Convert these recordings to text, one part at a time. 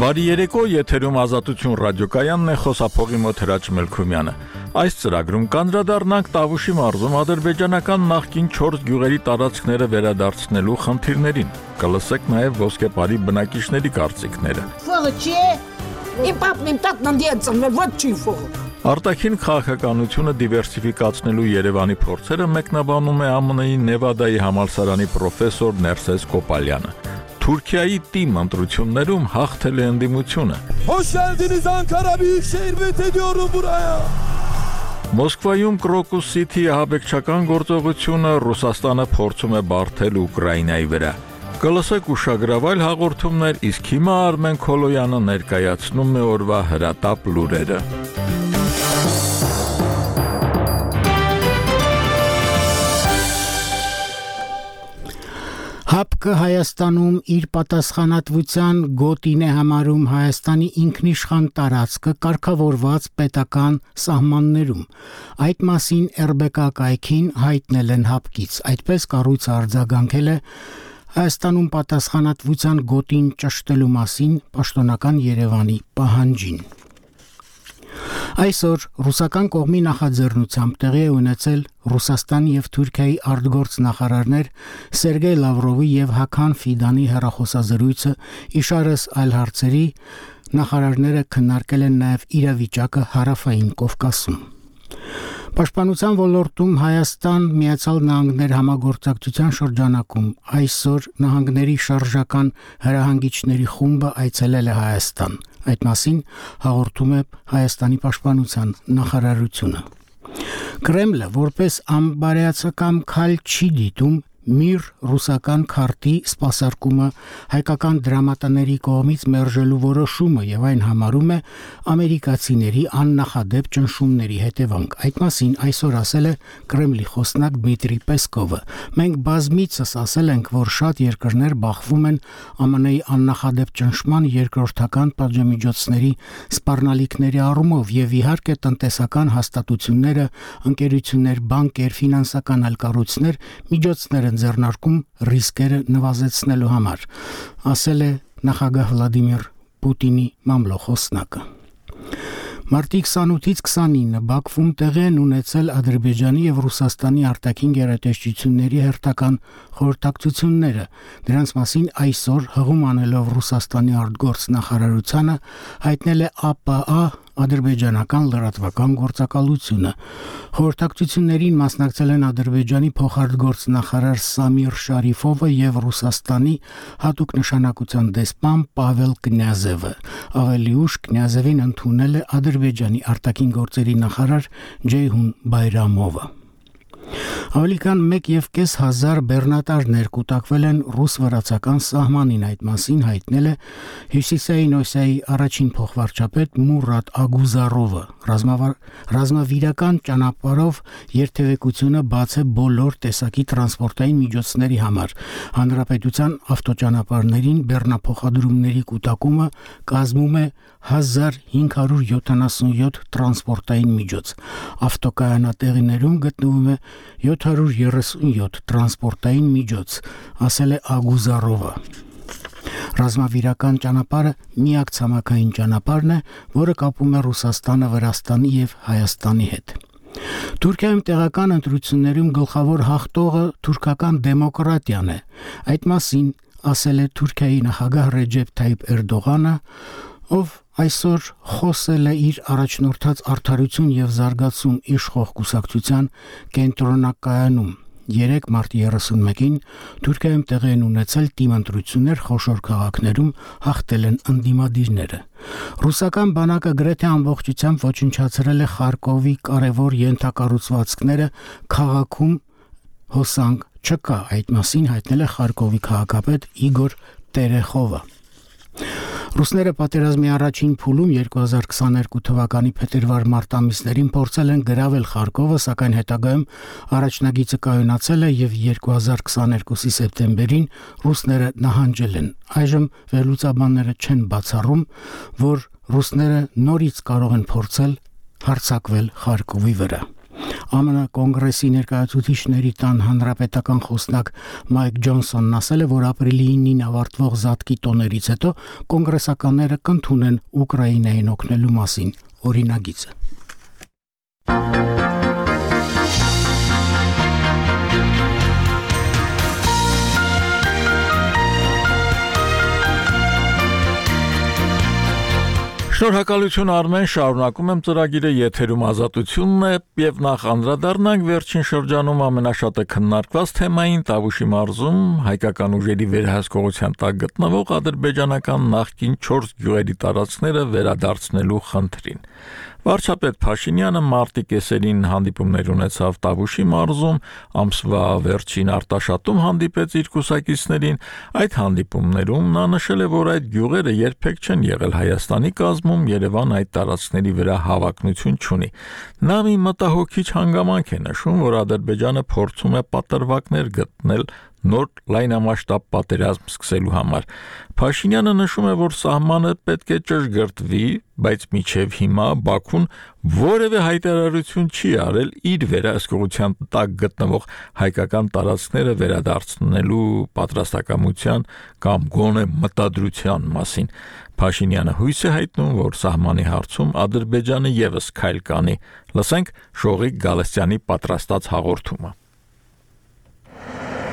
Բարի երեկո, եթերում Ազատություն ռադիոկայանն է, խոսափողի մոտ Հրաչ Մելքումյանը։ Այս ծրագրում կանդրադառնանք Տավուշի մարզում ադրբեջանական նախկին 4 գյուղերի տարածքները վերադարձնելու խնդիրներին։ Կլսեք նաև ոսկեպարի բնակիչների կարծիքները։ Արտաքին քաղաքականությունը դիվերսիֆիկացնելու Երևանի փորձերը մեկնաբանում է ԱՄՆ-ի Նևադայի համալսարանի պրոֆեսոր Ներսես Կոպալյանը։ Թուրքիայի թիմ ընտրություններում հաղթել է ընդդիմությունը։ Մոսկվայում Crocus City ահաբեկչական գործողությունը Ռուսաստանը փորձում է բարթել Ուկրաինայի վրա։ Կլսեք ուշագրավայր հաղորդումներ, իսկ հիմա Արմեն Քոլոյանը ներկայացնում է օրվա հրատապ լուրերը։ ՀԱՊԿ Հայաստանում իր պատասխանատվության գոտին է համարում Հայաստանի ինքնիշխան տարածքը կարգավորված պետական սահմաններում։ Այդ մասին ՌԲԿ կայքին հայտնել են ՀԱՊԿ-ից։ Այդպես կառույցը արձագանքել է Հայաստանում պատասխանատվության գոտին ճշտելու մասին պաշտոնական Երևանի պահանջին։ Այսօր ռուսական կողմի նախաձեռնությամբ տեղի է ունեցել Ռուսաստանի եւ Թուրքիայի արտգործնախարարներ Սերգեյ Լավրովի եւ Հական Ֆիդանի հեռախոսազրույցը, իշարս այլ հարցերի նախարարները քննարկել են նաեւ իրավիճակը Հարավային Կովկասում։ Պաշտպանության ոլորտում Հայաստան-Միացյալ Նահանգներ համագործակցության շրջանակում այսօր նահանգների շարժական հրահանգիչների խումբը այցելել է Հայաստան։ Այդ մասին հաղորդում է Հայաստանի պաշտպանության նախարարությունը։ Կրեմլը որպես անբարեացակամ քայլ չի դիտում Միր ռուսական քարտի սպասարկումը հայկական դրամատաների կողմից մերժելու որոշումը եւ այն համարում է ամերիկացիների աննախադեպ ճնշումների հետևանք։ Այդ մասին այսօր ասել է Կրեմլի խոսնակ Դմիտրի Պեսկովը։ Մենք բազմիցս ասել ենք, որ շատ երկրներ բախվում են ԱՄՆ-ի աննախադեպ ճնշման երկրորդական պատժամիջոցների սպառնալիքների առումով եւ իհարկե տնտեսական հաստատությունները, ընկերություններ, բանկեր, ֆինանսական այլ կառույցներ միջոցներ ձեռնարկում ռիսկերը նվազեցնելու համար, ասել է նախագահ Վլադիմիր Պուտինի մամլոխոսնակը։ Մարտի 28-ից 29-ը Բաքվում տեղի են ունեցել Ադրբեջանի եւ Ռուսաստանի արտաքին գերատեսչությունների հերթական խորհրդակցությունները։ Դրանց մասին այսօր հղում անելով Ռուսաստանի արտգործնախարարությանը հայտնել է ԱՊԱ ադրբեջանական լրատվական գործակալությունը։ Խորհրդակցություններին մասնակցել են Ադրբեջանի փոխարտգործնախարար Սամիր Շարիֆովը եւ Ռուսաստանի հատուկ նշանակության դեսպան Պավել Կնյազևը։ Ավելի ուշ Կնյազևին ընդունել է Ադրբեջանի արտաքին գործերի նախարար Ջեյհուն Բայրամովը։ Ավելի քան 1.5 բեռնատարներ կուտակվել են ռուս-վրացական սահմանին, այդ մասին հայտնել է Հյուսիսային Օսիայի առաջին փոխվարչապետ Մուրադ Ագուզարովը։ Ռազմավիրական ճանապարհով երթևեկությունը բաց է բոլոր տեսակի տրանսպորտային միջոցների համար։ Հանրապետության ավտոճանապարհներին բեռնափոխադրումների կուտակումը կազմում է 1577 տրանսպորտային միջոց։ Ավտոկայանատեղիներում գտնվում է 737 տրանսպորտային միջոց, ասել է Ագուզարովը։ Ռազմավիրական ճանապարհը միակ ցամաքային ճանապարհն է, որը կապում է Ռուսաստանը Վրաստանի եւ Հայաստանի հետ։ Թուրքիայում տեղական ընտրություններում գլխավոր հաղթողը թուրքական դեմոկրատիան է։ Այդ մասին ասել է Թուրքիայի նախագահ Ռեջեփ Թայիփ Էրդողանը, ով այսօր խոսել է իր առաջնորդած Արդարություն եւ զարգացում իշխող կուսակցության կենտրոնակայանում։ 3 մարտի 31-ին Թուրքիայում տեղի են ունեցել թիմ ընտրություններ խոշոր քաղաքներում, հաղթել են ընդդիմադիրները։ Ռուսական բանակը գրեթե ամբողջությամբ ոչնչացրել է Խարկովի կարևոր ենթակառուցվածքները, քաղաքում հոսանք չկա, այդ մասին հայտնել է Խարկովի քաղաքապետ Իգոր Տերեխովը։ Ռուսները պատերազմի առաջին փուլում 2022 թվականի փետրվար-մարտ ամիսներին փորձել են գրավել Խարկովը, սակայն հետագայում առաջնագիծը կայունացել է եւ 2022-ի սեպտեմբերին ռուսները նահանջել են։ Այժմ վերլուծաբանները չեն բացառում, որ ռուսները նորից կարող են փորձել հարձակվել Խարկովի վրա։ ԱՄՆ կոնգրեսի ներկայացուցիչների տան հանրապետական խոսնակ Մայք Ջոնսոնն ասել է, որ ապրիլի 9-ին ավարտվող զատկի տոներից հետո կոնգրեսականները կընդունեն Ուկրաինային օգնելու մասին օրինագիծը։ Շնորհակալություն Արմեն, շարունակում եմ ծրագիրը, եթերում Ազատությունն է եւ նախ անդրադառնանք վերջին շրջանում ամենաշատը քննարկված թեմային Տավուշի մարզում հայկական ուժերի վերահսկողության տակ գտնվող ադրբեջանական նախկին 4 գյուղերի տարածքները վերադարձնելու խնդրին։ Վարչապետ Փաշինյանը մարտի կեսերին հանդիպումներ ունեցավ Տավուշի մարզում, ամսվա վերջին Արտաշատում հանդիպեց իր կուսակիցներին, այդ հանդիպումներում նա նշել է, որ այդ գյուղերը երբեք չեն եղել Հայաստանի կազմում, Երևան այդ տարածքների վրա հավակնություն չունի։ Նա մի մտահոգիչ հանգամանք է նշում, որ Ադրբեջանը փորձում է պատրվակներ գտնել նոր լայնամասշտաբ պատերազմ սկսելու համար։ Փաշինյանը նշում է, որ սահմանը պետք է ճշգրտվի, բայց մինչև հիմա Բաքուն որևէ հայտարարություն չի արել իր վերահսկողության տակ գտնվող հայկական տարածքները վերադարձնելու պատրաստակամության կամ գոնե մտադրության մասին։ Փաշինյանը հույս է հայտնում, որ սահմանի հարցում Ադրբեջանը ևս քայլ կանի։ Լսենք Շողիկ Գալստյանի պատրաստած հաղորդումը։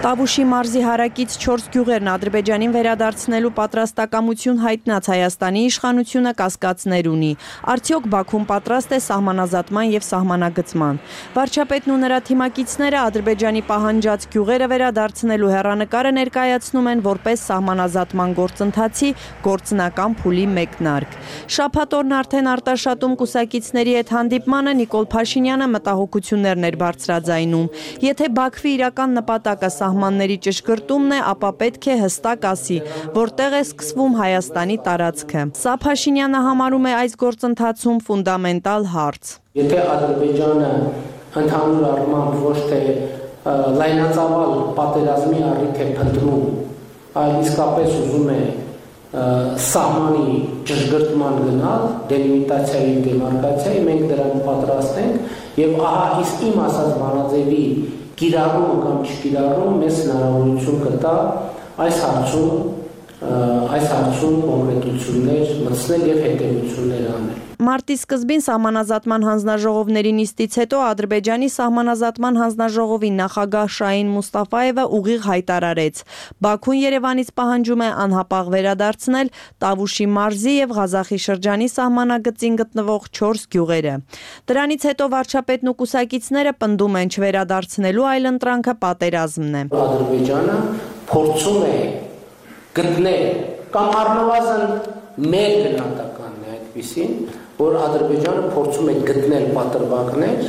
Տավուշի մարզի հարակից 4 գյուղերն Ադրբեջանին վերադարձնելու պատրաստակամություն հայտնած Հայաստանի իշխանությունը կասկածներ ունի։ Արդյոք Բաքուն պատրաստ է սահմանազատման եւ սահմանագծման։ Վարչապետն ու նրա թիմակիցները Ադրբեջանի պահանջած գյուղերը վերադարձնելու հեռանկարը ներկայացնում են որպես սահմանազատման գործընթացի գործնական փուլի մեկնարկ։ Շաբաթ օրն արդեն Արտաշատում կուսակիցների հետ հանդիպմանը Նիկոլ Փաշինյանը մտահոգություններն էր բարձրաձայնում։ Եթե Բաքվի իրական նպատակը սահմանների ճշգրտումն է, ապա պետք է հստակ ասի, որտեղ է սկսվում Հայաստանի տարածքը։ Սա Փաշինյանը համարում է այս գործընթացում ֆունդամենտալ հարց։ Եթե Ադրբեջանը ընդհանուր առմամբ ոչ թե լայնածավալ պատերազմի առիթ է փնտրում, այլ իսկապես ուզում է սահմանի ճշգրտման գնալ, դելիմիտացիայի, դեմարկացիայի, մենք դրան պատրաստ ենք եւ ահա իսկ իմ ասած բանաձևի կիրառում կամ չկիրառում մեզ հնարավորություն կտա այս հարցում կոնկրետություններ մտցնել եւ հետևություններ անել։ Մարտի սկզբին սահմանազատման հանձնաժողովների նիստից հետո Ադրբեջանի սահմանազատման հանձնաժողովի նախագահ Շահին Մուստաֆայևը ուղիղ հայտարարեց. Բաքուն Երևանից պահանջում է անհապաղ վերադարձնել Տավուշի մարզի եւ Ղազախի շրջանի սահմանագծին գտնվող 4 գյուղերը։ Դրանից հետո վարչապետն ու կուսակիցները պնդում են չվերադարձնելու այլընտրանքը պատերազմն է։ Ադրբեջանը փորձում է գտնել կամ առնվազն մեր գնահատականն է այդպիսին, որ Ադրբեջանը փորձում է գտնել պատրվակներ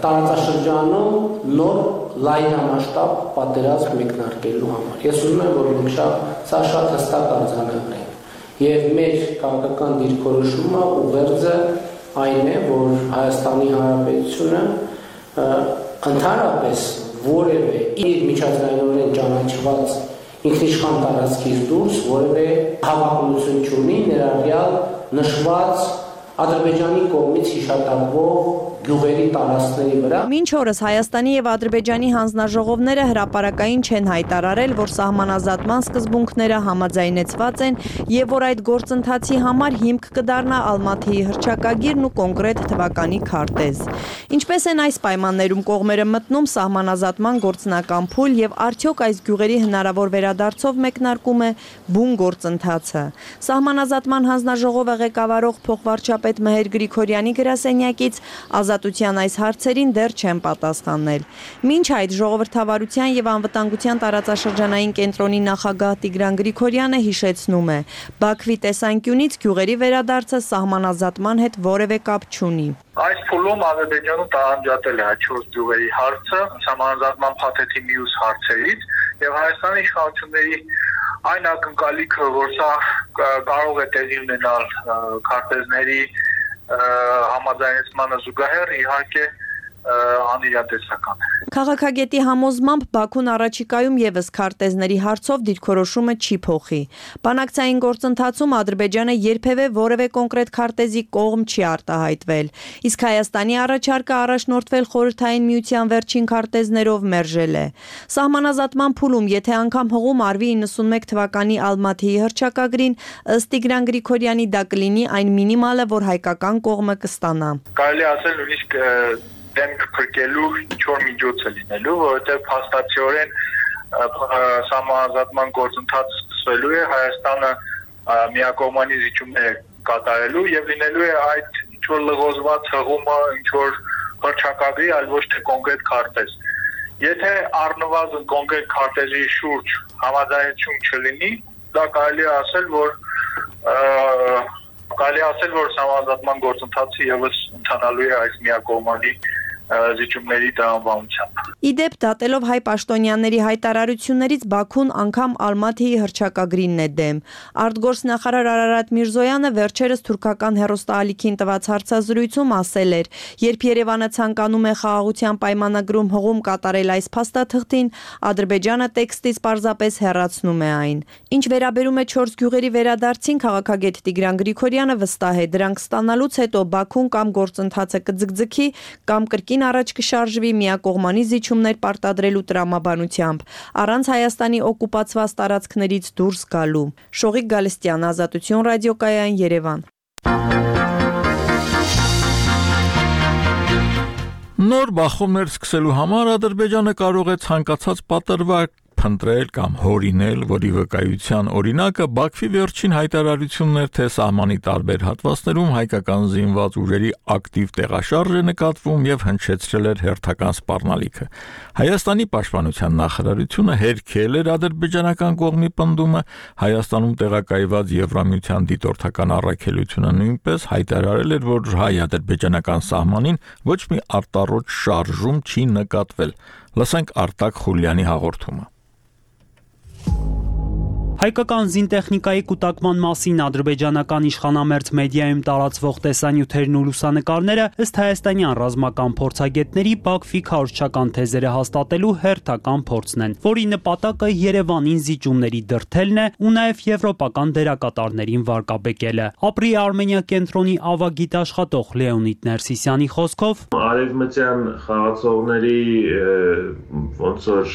տարածաշրջանում նոր լայնամասշտաբ պատերազմ մեկնարկելու համար։ Ես ուզում եմ, որ մենք սա շատ հստակ արձանագրենք։ Եվ մեր քաղաքական դիրքորոշումը ուղերձը այն է, որ Հայաստանի Հանրապետությունը ընդհանրապես որևէ իր միջազգայինորեն ճանաչված ինքնիշխան տարածքից դուրս որևէ հավակնություն չունի ներառյալ նշված Ադրբեջանի կողմից հիշատակվող գյուղերի տարածքների վրա։ Մինչ օրս Հայաստանի եւ Ադրբեջանի հանձնաժողովները հրապարակային չեն հայտարարել, որ սահմանազատման սկզբունքները համաձայնեցված են եւ որ այդ գործընթացի համար հիմք կդառնա Ալմաթիի հռչակագիրն ու կոնկրետ թվականի քարտեզ։ Ինչպես են այս պայմաններում կողմերը մտնում սահմանազատման գործնական փուլ եւ արդյոք այս գյուղերի հնարավոր վերադարձով մեկնարկում է բուն գործընթացը։ Սահմանազատման հանձնաժողովը ղեկավարող փոխվարչապետ Մհեր Գրիգորյանի գրասենյակից Ազատության այս հարցերին դեռ չեն պատասխանել։ Մինչ այդ ժողովրդավարության եւ անվտանգության տարածաշրջանային կենտրոնի նախագահ Տիգրան Գրիգորյանը հիշեցնում է. Բաքվի տեսանկյունից գյուղերի վերադարձը սահմանազատման հետ որևէ կապ չունի։ Այս փուլում Ադրբեջանը տարանջատել է 4 գյուղերի հարցը սահմանազատման փաթեթի մյուս հարցերից եւ Հայաստանի իշխանությունների այն ակնկալիքը, որ սա կարող է տեղի ունենալ քարտեզների համաձայնեցմանը զուգահեռ իհարկե անիրատեսական է։ Քաղաքագետի համոզմամբ Բաքուն առաջիկայում եւս քարտեզների հարցով դիրքորոշումը չի փոխի։ Բանակցային գործընթացում Ադրբեջանը երբևէ որևէ կոնկրետ քարտեզի կողմ չի արտահայտվել, իսկ Հայաստանի առաջարկը առաջնորդվել Խորհրդային Միության վերջին քարտեզներով մերժել է։ Սահմանազատման փուլում, եթե անգամ հղում արվի 91 թվականի Ալմաթիի հռչակագրին, ըստ Տիգրան Գրիգորյանի դա կլինի այն մինիմալը, որ հայկական կողմը կստանա։ Կարելի ասել նույնիսկ դեմք փրկելու ինչ-որ միջոց է լինելու, որովհետև փաստացիորեն սահմանազատման գործընթացը սկսվելու է, Հայաստանը միակողմանի զիջումներ կատարելու եւ լինելու է այդ ինչ-որ լղոզված հղումը, ինչ-որ հռչակագրի, այլ ոչ թե կոնկրետ քարտեզ։ Եթե առնվազն կոնկրետ քարտեզի շուրջ համաձայնություն չլինի, դա կարելի է ասել, որ սահմանազատման գործընթացը եւս ընթանալու է այս միակողմանի զիջումների տրամաբանությամբ։ Իդեպ դատելով հայ պաշտոնյաների հայտարարություններից Բաքուն անգամ Ալմաթիի հռչակագրինն է դեմ։ Արտգործնախարար Արարատ Միրզոյանը վերջերս թուրքական հեռուստաալիքին տված հարցազրույցում ասել էր, երբ Երևանը ցանկանում է խաղաղության պայմանագրում հղում կատարել այս փաստաթղթին, Ադրբեջանը տեքստից պարզապես հեռացնում է այն։ Ինչ վերաբերում է 4 գյուղերի վերադարձին, քաղաքագետ Տիգրան Գրիգորյանը վստահ է, դրանք ստանալուց հետո Բաքուն կամ գործընթացը կձգձգի, կամ կրկին առաջ կշարժվի միակողմանի զիջումներ պարտադրելու տրամաբանությամբ, առանց Հայաստանի օկուպացված տարածքներից դուրս գալու։ Շողիկ Գալստյան, Ազատություն ռադիոկայան, Երևան։ Նոր բախումներ սկսելու համար Ադրբեջանը կարող է ցանկացած պատրվակ փնտրել կամ հորինել, որի վկայության օրինակը Բաքվի վերջին հայտարարություններ, թե սահմանի տարբեր հատվածներում հայկական զինված ուժերի ակտիվ տեղաշարժ է նկատվում եւ հնչեցրել էր հերթական սպառնալիքը։ Հայաստանի պաշտպանության նախարարությունը հերքել էր ադրբեջանական կողմի պնդումը, Հայաստանում տեղակայված Եվրամիության դիտորդական առաքելությունը նույնպես հայտարարել էր, որ հայ-ադրբեջանական սահմանին ոչ մի արտառոց շարժում չի նկատվել։ Լսենք Արտակ Խուլյանի հաղորդումը։ Հայկական զինտեխնիկայի կուտակման մասին ադրբեջանական իշխանամերձ մեդիայում տարածվող տեսանյութերն ու լուսանկարները ըստ հայաստանյան ռազմական փորձագետների Բաքվի քարոզչական թեզերը հաստատելու հերթական փորձն են, որի նպատակը Երևանին զիջումների դրդելն է ու նաև եվրոպական դերակատարներին վարկաբեկելը։ Ապրի Արմենիա կենտրոնի ավագիտ աշխատող Լեոնիդ Ներսիսյանի խոսքով արևմտյան խաղացողների ոնց որ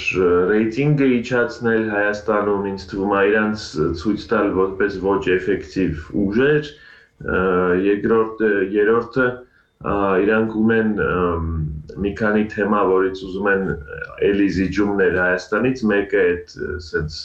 ռեյտինգը իջացնել Հայաստանում ինձ թվում է իրանց ցույց տալ որպես ոչ էֆեկտիվ ուժեր, երրորդը իրանք ունեն մի քանի թեմա, որից ուզում են էլի զիջումներ Հայաստանից, մեկը այդ սենց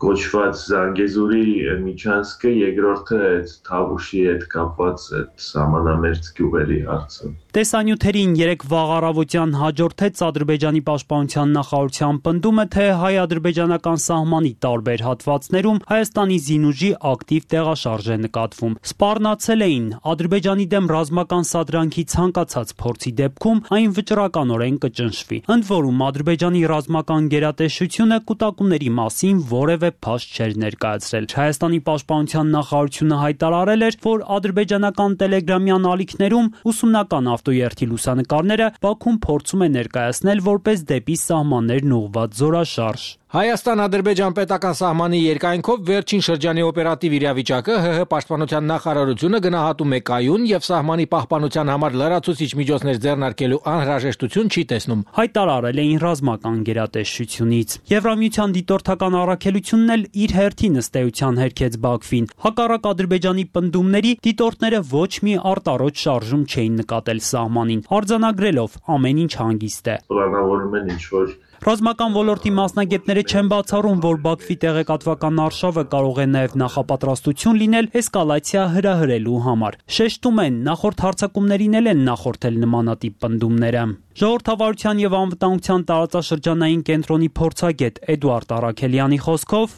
կոչված Զանգեզուրի միջանցքը, երկրորդը այդ Թավուշի հետ կապված այդ սահմանամերձ գյուղերի հարցը։ Տեսանյութերին երեք վաղ առավոտյան հաջորդեց Ադրբեջանի պաշտպանության նախարարության պնդումը, թե հայ-ադրբեջանական սահմանի տարբեր հատվածներում Հայաստանի զինուժի ակտիվ տեղաշարժ է նկատվում։ Սպառնացել էին Ադրբեջանի դեմ ռազմական սադրանքի ցանկացած փորձի դեպքում այն վճռականորեն կճնշվի։ Ընդ որում Ադրբեջանի ռազմական գերատեսչությունը կուտակումների մասին որևէ փաստ չէր ներկայացրել։ Հայաստանի պաշտպանության նախարարությունը հայտարարել էր, որ ադրբեջանական տելեգրամյան ալիքներում ուսումնական ավտոերթի լուսանկարները Բաքուն փորձում է ներկայացնել որպես դեպի սահմաններն ուղղված զորաշարժ։ Հայաստան-Ադրբեջան պետական սահմանի երկայնքով վերջին շրջանի օպերատիվ իրավիճակը ՀՀ պաշտպանության նախարարությունը գնահատում է կայուն եւ սահմանի պահպանության համար լրացուցիչ միջոցներ ձեռնարկելու անհրաժեշտություն չի տեսնում, հայտարարել էին ռազմական գերատեսչությունից։ Եվրամիության դիտորդական առաքելությունն էլ իր հերթին ըստ էության հերքեց Բաքվին։ Հակառակ Ադրբեջանի պնդումների դիտորդները ոչ մի արտառոց շարժում չէին նկատել սահմանին, արձանագրելով ամեն ինչ հանգիստ է։ Պլանավորում են ինչ-որ Ռազմական ոլորտի մասնագետները չեն բացառում, որ Բաքվի տեղեկատվական արշավը կարող է նաև նախապատրաստություն լինել էսկալացիա հրահրելու համար։ Շեշտում են, նախորդ հարձակումներին էլ են նախորդել նմանատիպ պնդումները։ Ժողովրդավարության եւ անվտանգության տարածաշրջանային կենտրոնի փորձագետ Էդուարդ Արաքելյանի խոսքով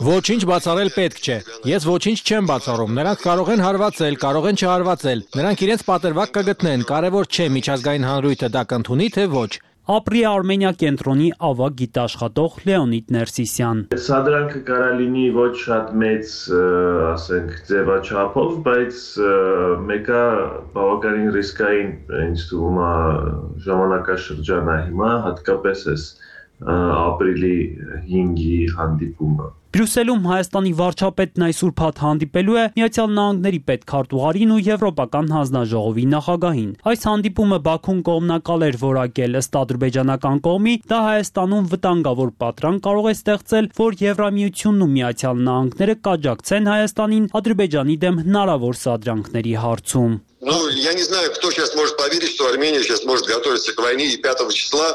Ոչինչ բացառել պետք չէ։ Ես ոչինչ չեմ բացառում։ Նրանք կարող են հարվածել, կարող են չհարվածել։ Նրանք իրենց պատրվակ կգտնեն, կարևոր չէ միջազգային հանրույթը դա կընդունի թե ոչ։ Ապրի Արմենիա կենտրոնի ավագ գիտաշխատող Լեոնիդ Ներսիսյան։ Սադրանքը կարա լինի ոչ շատ մեծ, ասենք, ձևաչափով, բայց մեկը բավականին ռիսկային ինձ թվում է ժամանակաշրջան է հիմա, հատկապես էս ապրիլի 5-ի հանդիպումը։ Բրյուսելում Հայաստանի վարչապետն այսօր փաթ հանդիպելու է Միացյալ Նահանգների պետքարտուղարին ու Եվրոպական հանձնաժողովի նախագահին։ Այս հանդիպումը Բաքուն կողմնակալ էր որակել, ըստ ադրբեջանական կողմի, դա Հայաստանում վտանգավոր պատրանք կարող է ստեղծել, որ Եվրամիությունն ու Միացյալ Նահանգները կաջակցեն Հայաստանին Ադրբեջանի դեմ հնարավոր սադրանքների հարցում։ Ну, я не знаю, кто сейчас может поверить, что Армения сейчас может готовиться к войне и 5 числа.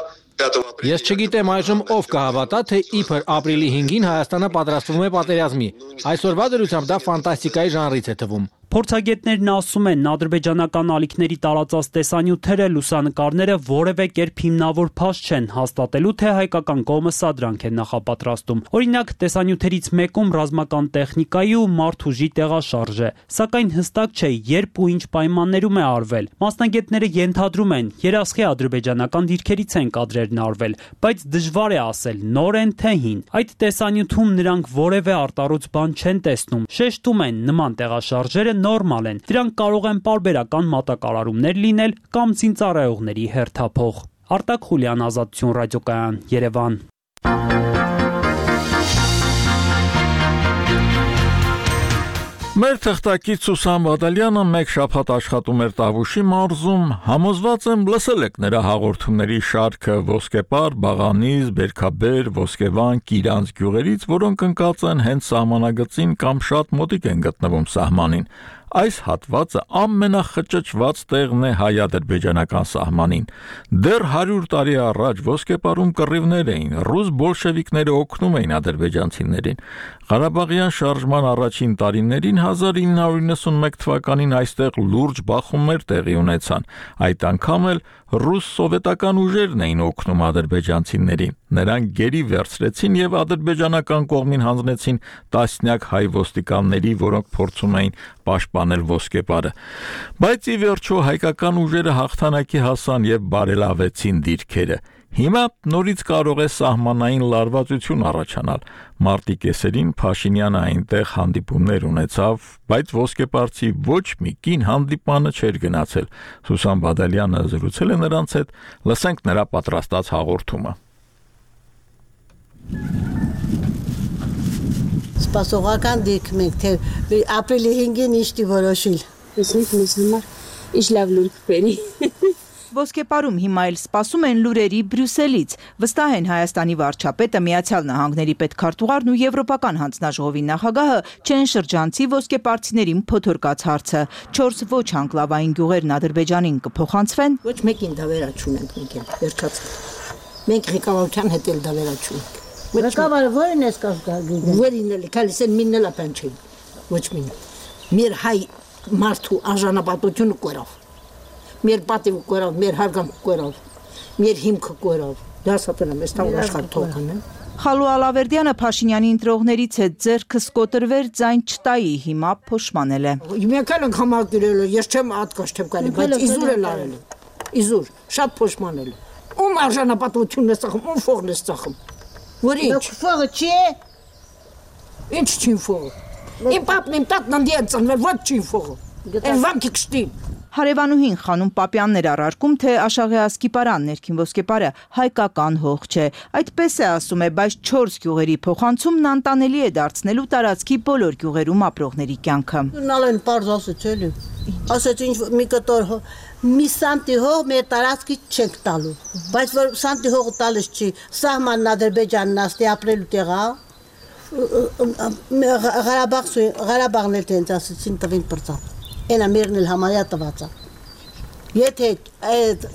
Ես չգիտեմ այժմ ով կհավատա, թե իբր ապրիլի 5-ին Հայաստանը պատրաստվում է պատերազմի։ Այսօրվա դրությամբ դա ֆանտաստիկայի ժանրից է թվում։ Փորձագետներն ասում են, ադրբեջանական ալիքների տարածած տեսանյութերը, լուսանկարները որևէ կերպ հիմնավոր փաստ չեն հաստատելու, թե հայկական կողմը սադրանք է նախապատրաստում։ Օրինակ, տեսանյութերից մեկում ռազմական տեխնիկայի ու մարդուժի տեղաշարժ է, սակայն հստակ չէ, երբ ու ինչ պայմաններում է արվել։ Մասնագետները ենթադրում են, երասխի ադրբեջանական դիրքերից են կադրերն արվել, բայց դժվար է ասել, նոր են թե հին։ Այդ տեսանյութում նրանք որևէ արտառոց բան չեն տեսնում, շեշտում են, նման տեղաշարժերը նորմալ են, դրանք կարող են պարբերական մատակարարումներ լինել կամ զինծառայողների հերթափող։ Արտակ Խուլյան, Ազատություն ռադիոկայան, Երևան։ Մեր թղթակից Սուսան Բադալյանը մեկ շաբաթ աշխատում էր Տավուշի մարզում, համոզված եմ լսել եք նրա հաղորդումների շարքը Ոսկեպար, Բաղանիզ, Բերքաբեր, Ոսկեվան, Կիրանց գյուղերից, որոնք ընկած են հենց սահմանագծին կամ շատ մոտիկ են գտնվում սահմանին։ Այս հատվածը ամենախճճված տեղն է հայ-ադրբեջանական սահմանին։ Դեռ 100 տարի առաջ Ոսկեպարում կռիվներ էին, ռուս բոլշևիկները օգնում էին ադրբեջանցիներին։ Ղարաբաղյան շարժման առաջին տարիներին 1991 թվականին այստեղ լուրջ բախումներ տեղի ունեցան։ Այդ անգամ էլ ռուս-սովետական ուժերն էին օգնում ադրբեջանցիներին։ Նրանք գերի վերցրեցին եւ ադրբեջանական կողմին հանձնեցին տասնյակ հայ ոստիկանների, որոնք փորձում էին պաշտպանել Ոսկեպարը։ Բայց ի վերջո հայկական ուժերը հաղթանակի հասան եւ բարելավեցին դիրքերը։ Հիմա նորից կարող է սահմանային լարվածություն առաջանալ։ Մարտի կեսերին Փաշինյանը այնտեղ հանդիպումներ ունեցավ, բայց ոսկեպարցի ոչ մի կին հանդիպանը չէր գնացել։ Սուսան Բադալյանը զրուցել է նրանց հետ, լսենք նրա պատրաստած հաղորդումը։ Սպասողական դիրք մենք թե ապրիլի 5-ին իշտի որոշիլ։ Իսկ մեզ համար ինչ լավ լուր կբերի։ Ոսկեպարում հիմա էլ սպասում են լուրերի Բրյուսելից։ Վստահ են Հայաստանի վարչապետը, Միացյալ Նահանգների պետքարտուղարն ու Եվրոպական հանձնաժողովի նախագահը չեն շրջանցի ոսկեպարցիներին փոթորկած հարցը։ 4 ոչ անկլավային գյուղերն Ադրբեջանին կփոխանցվեն։ Ոչ մեկին դավերա չունենք մենք էլ, վերջացավ։ Մենք ղեկավարության հետ էլ դավերա չունենք։ Ղեկավարը ո՞րն է սկսած։ Ո՞րին էլ, քալիսեն մինն էլ ապանչի։ Ոչ մին։ Մեր հայ մարդու արժանապատվությունը կորավ։ Մեր պատիվը կորավ, մեր հարգանքը կորավ, մեր հիմքը կորավ։ Դա սապերում ես տալ աշխատողն է։ Խալու Ալավերդյանը Փաշինյանի ընտրողներից է ձեռքը սկոտրվեր ձայն չտայի, հիմա փոշմանել է։ Մենք էլ ենք համակերել, ես չեմ ատկաշ չեմ կարելի, բայց իզուր էլ արել։ Իզուր, շատ փոշմանել։ Ում արժանապատվությունն է ծախում, ում ֆողն է ծախում։ Որ ինչ։ Ֆողը չի։ Ինչ չի ֆողը։ Իմ պապն իմ տատն անդի է ծնվել, ոչ չի ֆողը։ Այն վանքի կշտի։ Հարևանուհին Խանուն Պապյանն էր առարկում, թե Աշաղի Ասկիպարան ներքին ոսկեպարը հայկական հող չէ։ Այդպես է ասում է, բայց 4 գյուղերի փոխանցումն անտանելի է դարձնելու տարածքի բոլոր գյուղերում ապրողների կյանքը։ Նալեն պարզ ասեց էլի։ Ասեց ինչ մի կտոր մի սանտի հող մեր տարածքից չենք տալու։ Բայց որ սանտի հողը տալիս չի, սահմանն Ադրբեջանն աստի ապրելու տեղա։ Ղարաբաղն էլ տենց ասեցին տվին պրծապ։ Այնա մերն էլ համարյա տված է։ Եթե այդ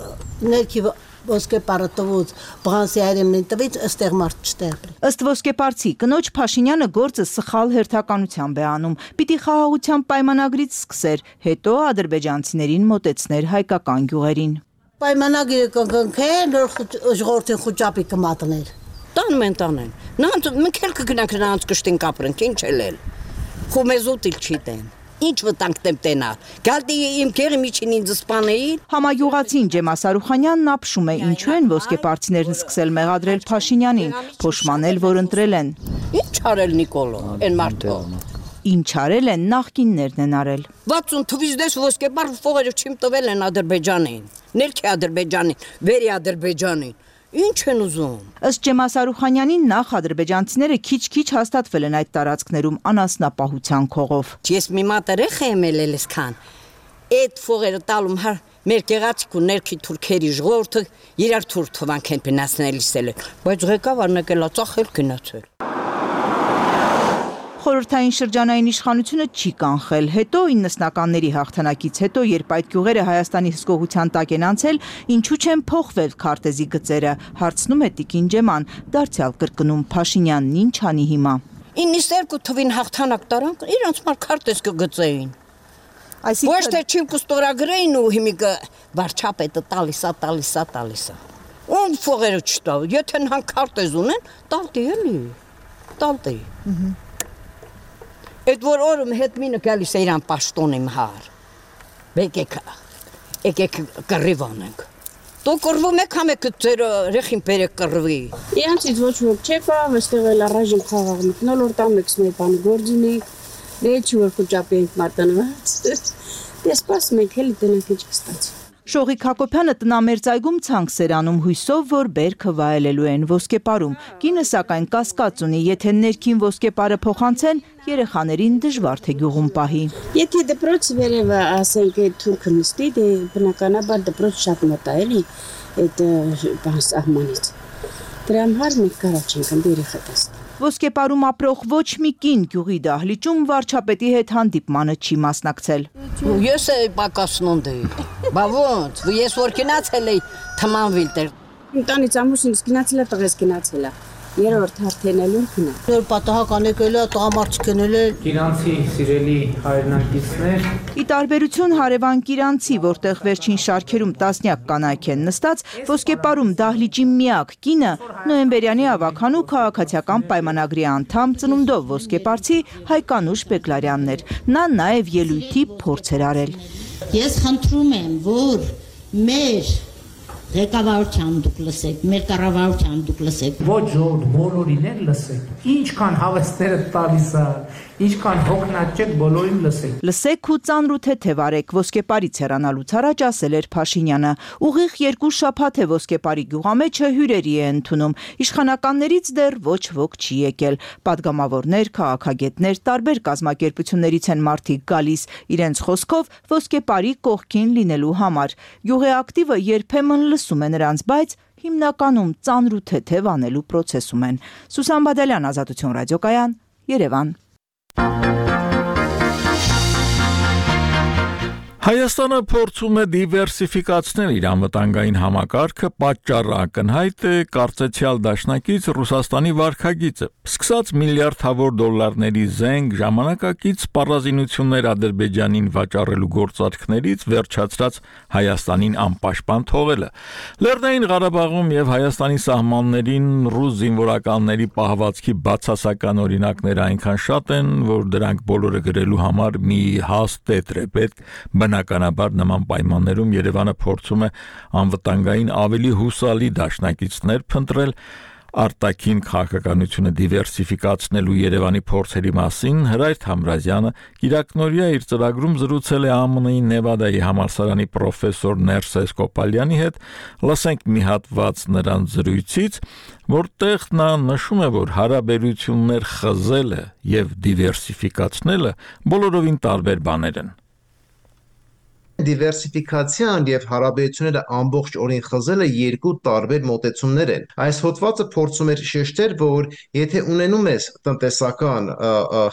ներքի ոսկեպարը տվուց բղանսի այրեմնին տվից, ըստեղ մարդ չտեղբրի։ Ըստ ոսկեպարցի, կնոջ Փաշինյանը գործը սխալ հերթականությամբ է անում։ Պիտի խաղաղության պայմանագրից սկսեր, հետո ադրբեջանցիներին մոտեցներ հայկական գյուղերին։ Պայմանագիրը կգնքեն, ժողովրդին խուճապի կմատներ։ Տանում են տանեն։ Մենք էլ կգնանք նրանց կշտին կապրենք, ինչ էլ։ Խումեզուտ իլ չի տեն։ Ինչ վտանգ դեմ տենա։ Գալտի իմ քերի միջին ինձ սպանել։ Համագյուղացին Ջեմա Սարուխանյանն ապշում է ինչու են ոսկեպարծիներն սկսել մեղադրել Փաշինյանին, փոշմանել, որ ընտրել են։ Ինչ արել Նիկոլո, այն մարդը։ Ինչ արել են նախկիններն են արել։ 60 թվից դες ոսկեպար ֆողերը չիմ տվել են Ադրբեջանին, ներքի Ադրբեջանին, վերի Ադրբեջանին։ Ինչ են ուզում։ Ըստ Ջեմա Սարուխանյանին նախ ադրբեջանցիները քիչ-քիչ հաստատվել են այդ տարածքներում անասնապահության քողով։ Ես մի մատերեխ եմ ելել սկան։ Այդ ֆողերը տալում հար մեր գեղացիկ ու ներքի թուրքերի ժողովուրդը իրար թուրք թվանք են պնասնելիս էլ, բայց ղեկավարն եկել ածախել գնացել։ Խորհրդային շրջանային իշխանությունը չի կանխել, հետո 90-ականների հաղթանակից հետո, երբ այդ գյուղերը Հայաստանի հսկողության տակ են անցել, ինչու չեն փոխվել քարտեզի գծերը, հարցնում է Տիկին Ջեման, դարձյալ կրկնում Փաշինյանն ինչ անի հիմա։ 92 թվին հաղթանակ տարանք, իրանց մար քարտեզ կգծեին։ Ոչ թե չիմ կստորագրեին ու հիմիկը վարչապետը տալիսա։ Ում ֆողերը չտավ, եթե նան քարտեզ ունեն, տալտի էլի, տալտի։ Այդ որ օրում հետ մինը գալիս է իրան պաշտոն իմ հար։ Եկեք կռիվ անենք։ Դու կռվում եք համեք ձեր ռեխին բերեք կռվի։ Իրանցից ոչ ոք չեկա, այստեղ էլ առայժմ խաղաղ մտնոլորտ ամեքս մեր բան գործինիկ, դե չի որ խոճապի ենք մարտանված։ Դե սպասում ենք հելի տնենք ինչ կստացի։ Շողիկ Հակոբյանը տնամերձայգում ցանկ սերանում հույսով, որ բերքը վայելելու են ոսկեպարում։ Կինը սակայն կասկած ունի, եթե ներքին ոսկեպարը փոխանցեն, երեխաներին դժվար թե գյուղում պահի։ Եթե դպրոցը վերևը ասենք այդ թուրքը նստի, դե բնականաբար դպրոց շատ մոտ է էլի այդ բան սահմանից։ Դրա համար մենք կարաչ ենք ընդ երեխա տեսնել։ Ոսկեպարում ապրող ոչ մի կին գյուղի դահլիճում վարչապետի հետ հանդիպմանը չի մասնակցել։ Ես էի պակասնոնդի, բա ոնց, ես որ գնացել էի թմանվիլ տեր։ Տանից ամուսինս գնացել է, տղես գնացել է։ Երրորդ հերթենելու գնա։ Նոր պատահական եկել է, տղամարդիկ եկել է։ Կիրանցի սիրելի հայրենակիցներ։ Ի տարբերություն հարևան Կիրանցի, որտեղ վերջին շարքերում տասնյակ կանայք են նստած, ոսկեպարում դահլիճի միակ կինը նոյեմբերյանի ավագանու քաղաքացիական պայմանագրի անդամ ծնունդով ոսկեպարցի Հայկանուշ Բեկլարյանն էր։ Նա նաև ելույթի փորձ էր արել։ Ես խնդրում եմ, որ մեր ղեկավարության դուք լսեք, մեր կառավարության դուք լսեք։ Ոչ ժողովուրդ բոլորին էլ լսեք։ Ինչքան հավաստները տալիս է, ինչքան հոգնած բոլորին լսեք։ Լսեք ու ծանր ու թեթև արեք, ոսկեպարից հեռանալուց առաջ ասել էր Փաշինյանը։ Ուղիղ 2 շաբաթ է ոսկեպարի գյուղամեջը հյուրերի է ընդունում։ Իշխանականներից դեռ ոչ ոք չի եկել։ Պատգամավորներ, քաղաքագետներ, տարբեր կազմակերպություններից են մարդիկ գալիս, իրենց խոսքով ոսկեպարի կողքին լինելու համար։ Գյուղի ակտիվը երբեմն լսում է նրանց, բայց հիմնականում ծանր ու թեթև անելու պրոցեսում են։ Սուսան Բադալյան, Ազատություն ռադիոկայան, Երևան։ Հայաստանը փորձում է դիվերսիֆիկացնել իր անվտանգային համակարգը, պատճառը ակնհայտ է կարծեցյալ դաշնակից Ռուսաստանի վարքագիծը։ Սկսած միլիարդավոր դոլարների զենք, ժամանակակից սպառազինություններ Ադրբեջանին վաճառելու գործարքներից վերջացրած Հայաստանին անպաշտպան թողելը։ Լեռնային Ղարաբաղում եւ Հայաստանի սահմաններին ռուս զինվորականների պահվածքի բացասական օրինակները այնքան շատ են, որ դրանք բոլորը գրելու համար մի հաստ տետր է պետք։ Բնականաբար նման պայմաններում Երևանը փորձում է անվտանգային ավելի հուսալի դաշնակիցներ փնտրել արտաքին քաղաքականությունը դիվերսիֆիկացնելու Երևանի փորձերի մասին Հրայր Թամրազյանը Կիրակնորիա իր ծրագրում զրուցել է ԱՄՆ-ի Նևադայի համալսարանի պրոֆեսոր Ներսես Կոպալյանի հետ։ Լսենք մի հատված նրանց զրույցից, որտեղ նա նշում է, որ հարաբերություններ խզելը եւ դիվերսիֆիկացնելը բոլորովին տարբեր բաներ են։ Դիվերսիֆիկացիան եւ հարաբերությունները ամբողջ օրին խզելը երկու տարբեր մոտեցումներ են։ Այս հոդվածը փորձում է շեշտել, որ եթե ունենում ես տնտեսական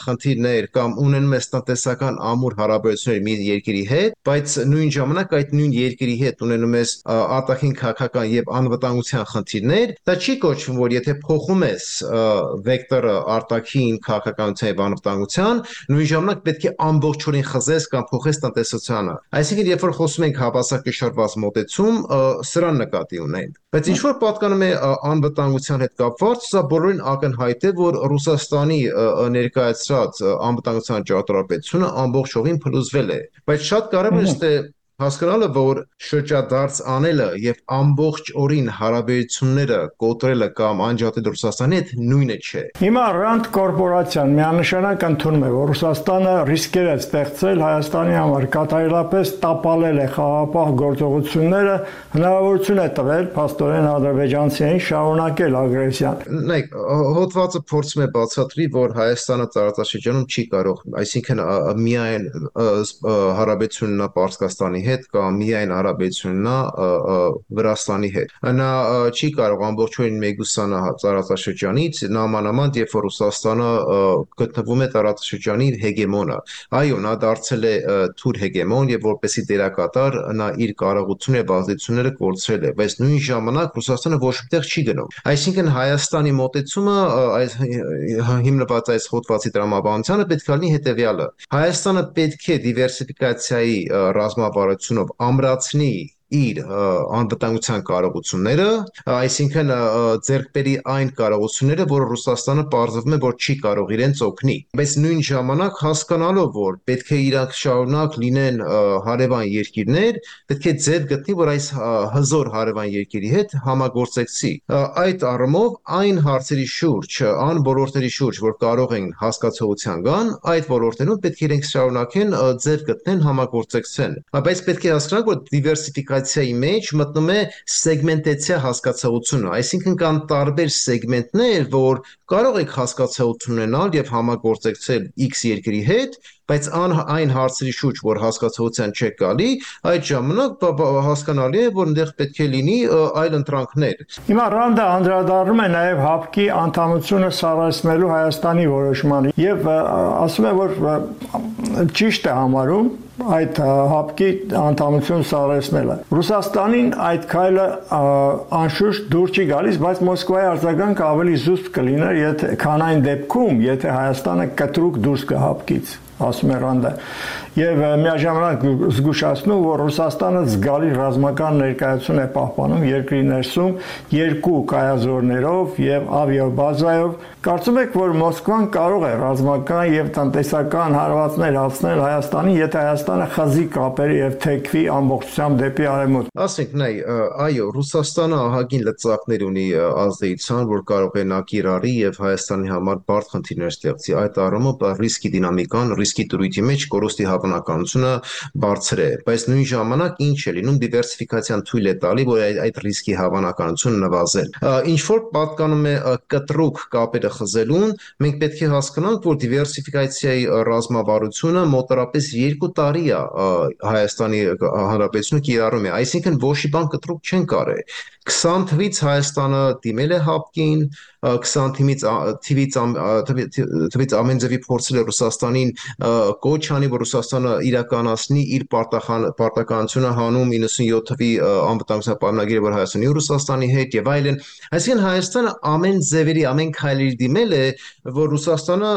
խնդիրներ կամ ունենում ես տնտեսական ամուր հարաբերություններ մի երկրի հետ, բայց նույն ժամանակ այդ նույն երկրի հետ ունենում ես արտաքին քաղաքական եւ անվտանգության խնդիրներ, դա չի կոչվում, որ եթե փոխում ես վեկտորը արտաքին քաղաքականության եւ անվտանգության, նույն ժամանակ պետք է ամբողջ օրին խզես կամ փոխես տնտեսությանը։ Այսինքն Այսինքն, երբ որ խոսում ենք հավասարակշռված մոտեցում, սրան նկատի ունենք։ Բայց ինչ որ պատկանում է անվտանգության հետ կապված, սա բոլորին ակնհայտ է, որ Ռուսաստանի ներկայացրած անվտանգության ճարտարապետությունը ամբողջովին փլուզվել է։ Բայց շատ կարևոր է հասկանալը, որ շրջադարձ անելը եւ ամբողջ օրին հարաբերությունները կոտրելը կամ անջատել Ռուսաստանի հետ նույնը չէ։ Հիմա Rand կորպորացիան միանշանակ ընդունում է, որ Ռուսաստանը ռիսկեր է ստեղծել Հայաստանի համար, կատարելապես տապալել է խաղաղապահ գործողությունները, հնարավորություն է տվել փաստորեն ադրբեջանցիներին շարունակել ագրեսիան։ Նայեք, հոդվածը փորձում է բացատրի, որ Հայաստանը տարածաշրջանում չի կարող, այսինքն միայն հարաբերություն ունենա Պարսկաստանի հետ կամ միայն հարաբերություն ունենա Վրաստանի հետ։ Նա չի կարող ամբողջովին մեգուսանա տարածաշրջանից, նամանավանդ երբ որ Ռուսաստանը գտնվում է տարածաշրջանի հեգեմոնը։ Այո, նա դարձել է թուր հեգեմոն եւ որպեսի դերակատար նա իր կարողությունները եւ ազդեցությունները կորցրել է, բայց նույն ժամանակ Ռուսաստանը ոչ մտեղ չի գնում։ Այսինքն Հայաստանի մոտեցումը հիմնված այս հոդվածի տրամաբանությանը պետք է լինի հետեւյալը։ Հայաստանը պետք է դիվերսիֆիկացիայի ռազմավարությունով ամրացնի իր անվտանգության կարողությունները, այսինքն ձեռք բերի այն կարողությունները, որ Ռուսաստանը պարզվում է, որ չի կարող իրենց օգնի։ Բայց նույն ժամանակ հասկանալով, որ պետք է իրանք շարունակ լինեն հարևան երկիրներ, պետք է ձև գտնի, որ այս հզոր հարևան երկրի հետ համագործակցի։ Այդ առումով այն հարցերի շուրջ, այն ոլորտների շուրջ, որ կարող են հասկացողության գան, այդ ոլորտներում պետք է իրենք շարունակեն ձև գտնեն, համագործակցեն։ Բայց պետք է հասկանալ, որ դիվերսիֆիկացիայի մեջ մտնում է սեգմենտացիա հասկացողությունը, այսինքն կան տարբեր սեգմենտներ, որ կարող եք հասկացողություն ունենալ եւ համագործակցել X երկրի հետ, բայց այն հարցերի շուրջ, որ հասկացողության չեք գալի, այդ ժամանակ հասկանալի է, որ այնտեղ պետք է լինի այլ ընտրանքներ։ Հիմա Ռանդը անդրադառնում է նաև ՀԱՊԿ-ի անդամությունը սառեցնելու Հայաստանի որոշմանը եւ ասում է, որ ճիշտ է համարում այդ ՀԱՊԿ-ի անդամություն սառեցնելը։ Ռուսաստանին այդ քայլը անշուշտ դուր չի գալիս, բայց Մոսկվայի արձագանքը ավելի զուսպ կլիներ, քան այն դեպքում, եթե Հայաստանը կտրուկ դուրս գա ՀԱՊԿ-ից, ասում է Ռանդը, եւ միաժամանակ զգուշացնում, որ Ռուսաստանը զգալի ռազմական ներկայություն է պահպանում երկրի ներսում երկու կայազորներով եւ ավիաբազայով։ Կարծում եք, որ Մոսկվան կարող է ռազմական եւ տնտեսական հարվածներ հասնել Հայաստանին, եթե Հայաստանը խզի կապերի եւ թեքվի ամբողջությամբ դեպի արևմուտք։ Ասենք, այո, Ռուսաստանը ահագին լծակներ ունի ազդեցության, որ կարող է նա կիրառի եւ Հայաստանի համար բարդ խնդիրներ ստեղծի։ Այդ առումով ռիսկի դինամիկան, ռիսկի դրույթի մեջ կորուստի հավանականությունը բարձր է, բայց նույն ժամանակ ինչ է լինում դիվերսիֆիկացիան թույլ է տալի, որ այդ ռիսկի հավանականությունը նվազել։ Ինչ որ պատկանում է կտրուկ կապերը խզելուն, մենք պետք է հասկանանք, որ դիվերսիֆիկացիայի ռազմավարությունը մոտավորապես 2 տարի է Հայաստանի Հանրապետությունը կիրառում է, այսինքն ոչ մի բան կտրուկ չեն կարել։ 20 թվից Հայաստանը դիմել է ՀԱՊԿ-ին, 20 թվից ամեն ձևի փորձել է Ռուսաստանին կոչ անի, որ Ռուսաստանը իրականացնի իր պարտականությունը հանում 97 թվի անվտանգության պայմանագիրը, որ Հայաստանի ու Ռուսաստանի հետ եւ այլն։ Այսինքն Հայաստանը ամեն ձևերի, ամեն քայլերի դիմել է, որ Ռուսաստանը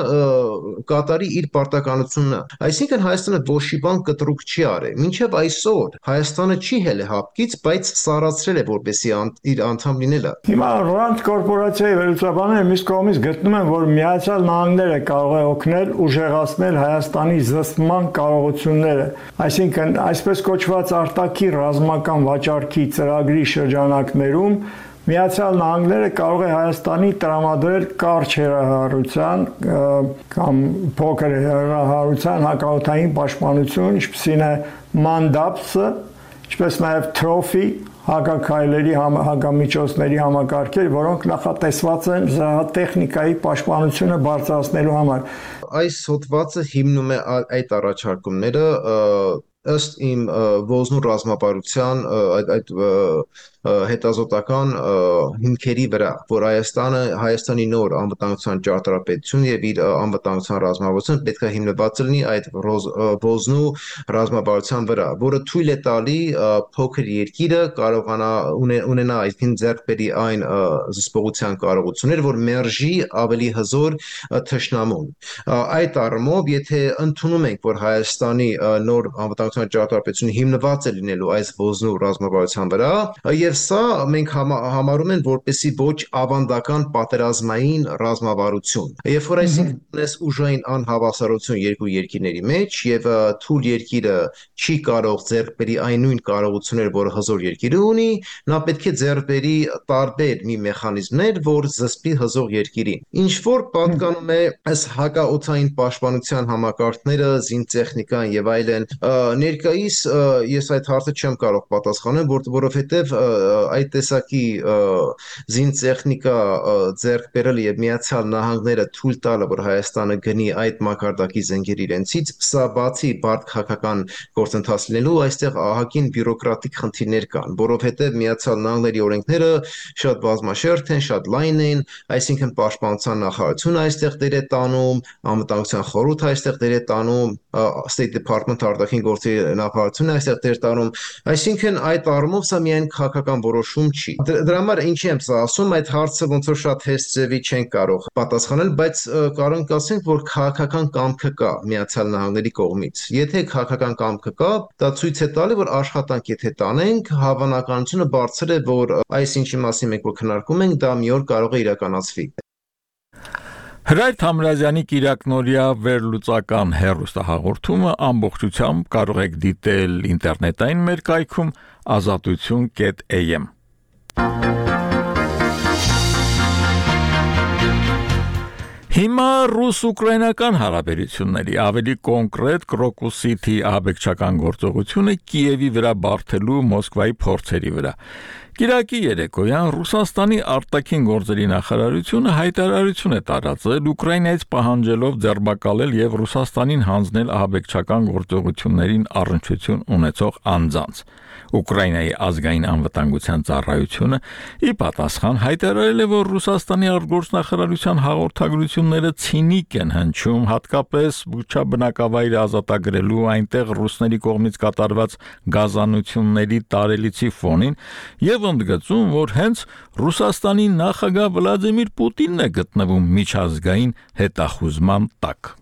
կատարի իր պարտականությունը։ Այսինքն Հայաստանը ոչ մի բան կտրուկ չի արել։ Մինչև այսօր Հայաստանը չի հել ՀԱՊԿ-ից, բայց սառացրել է որպեսի իր անդամ լինելը։ Հիմա Rand կորպորացիայի վերլուծաբանները մյուս կողմից գտնում են, որ Միացյալ Նահանգները կարող է օգնել ուժեղացնել Հայաստանի զսպման կարողությունները, այսինքն այսպես կոչված արտաքին ռազմական վաճառքի ծրագրի շրջանակներում Միացյալ Նահանգները կարող է Հայաստանի տրամադրել կարճ հեռահարության կամ փոքր հեռահարության հակաօդային պաշտպանություն, ինչպիսին է MANDAPS-ը, ինչպես նաև Trophy հակաքայլերի հակամիջոցների համակարգեր, որոնք նախատեսված են զրահատեխնիկայի պաշտպանությունը բարձրացնելու համար։ Այս հոդվածը հիմնում է այդ առաջարկումները ըստ իմ ոզնու ռազմավարության այդ հետազոտական հիմքերի վրա, որ Հայաստանի նոր անվտանգության ճարտարապետություն եւ իր անվտանգության ռազմավարությունը պետք է հիմնված լինի այդ ոզնու ռազմավարության վրա, որը թույլ է տալի փոքր երկիրը կարողանա ունենա այսքան ձեռք բերի այն զսպողության կարողություններ, որ մերժի ավելի հզոր թշնամուն։ Այդ առումով, եթե ընդունում ենք, որ Հայաստանի նոր անվտանգության ճարտարապետությունը հիմնված է լինելու այս ոզնու ռազմավարության վրա, եւ սա մենք համարում ենք որպեսի ոչ ավանդական պատերազմային ռազմավարություն։ Երբ որ այսինքն ունես ուժային անհավասարություն երկու երկիրների մեջ եւ թույլ երկիրը չի կարող ձեռք բերի այն նույն կարողությունները, որ հզոր երկիրը ունի, նա պետք է ձեռք բերի տարբեր մի մեխանիզմներ, որ զսպի հզոր երկիրին։ Ինչ որ պատկանում է այս հակաօդային պաշտպանության համակարգները, զինտեխնիկան եւ այլն, ներկայիս ես այդ հարցը չեմ կարող պատասխանել, որովհետեւ այդ տեսակի զինտեխնիկա ձեռք բերել եւ Միացյալ Նահանգները թույլ տալը, որ Հայաստանը գնի այդ մակարդակի զենքեր իրենցից, սա բացի բարդ քաղաքական գործընթաց լինելու, այստեղ ահագին բյուրոկրատիկ խնդիրներ կան, որովհետեւ Միացյալ Նահանգների օրենքները շատ բազմաշերտ են, շատ լայն են, այսինքն պաշտպանության նախարարությունը այստեղ դեր է տանում, անվտանգության խորհուրդը այստեղ դեր է տանում, State Department արտաքին գործերի նախարարությունը այստեղ դեր տանում, այսինքն այդ առումով սա միայն քաղաքական որոշում չի։ Դրա համար ինչի եմ սա ասում, այդ հարցը ոնց որ շատ հեշտ ձևի չեն կարող պատասխանել, բայց կարող ենք ասենք, որ քաղաքական կամքը կա Միացյալ Նահանգների կողմից։ Եթե քաղաքական կամքը կա, դա ցույց է տալի, որ աշխատանք եթե տանենք, հավանականությունը բարձր է, որ այս ինչի մասին մենք որ քննարկում ենք, դա մի օր կարող է իրականացվի։ Հրայր Թամրազյանի կիրակնօրյա վերլուծական հեռուստահաղորդումը ամբողջությամբ կարող եք դիտել ինտերնետային մեր կայքում azatutun.am։ Հիմա ռուս-ուկրաինական հարաբերությունների ավելի կոնկրետ Կրոկուս-Սիթի ահաբեկչական գործողությունը Կիևի վրա բարթելու Մոսկվայի փորձերի վրա։ Կիրակի երեկոյան Ռուսաստանի արտաքին գործերի նախարարությունը հայտարարություն է տարածել Ուկրաինայից պահանջելով ձերբակալել եւ Ռուսաստանին հանձնել ահաբեկչական գործողություններին առնչություն ունեցող անձանց։ Ուկրաինայի ազգային անվտանգության ծառայությունը ի պատասխան հայտարարել է, որ Ռուսաստանի արտգործնախարարության հաղորդագրությունները ցինիկ են հնչում, հատկապես Բուչա բնակավայրը ազատագրելու այնտեղ ռուսների կողմից կատարված գազանությունների տարելիցի ֆոնին եւ ընդգծում, որ հենց Ռուսաստանի նախագահ Վլադիմիր Պուտինն է գտնվում միջազգային հետախուզման տակ։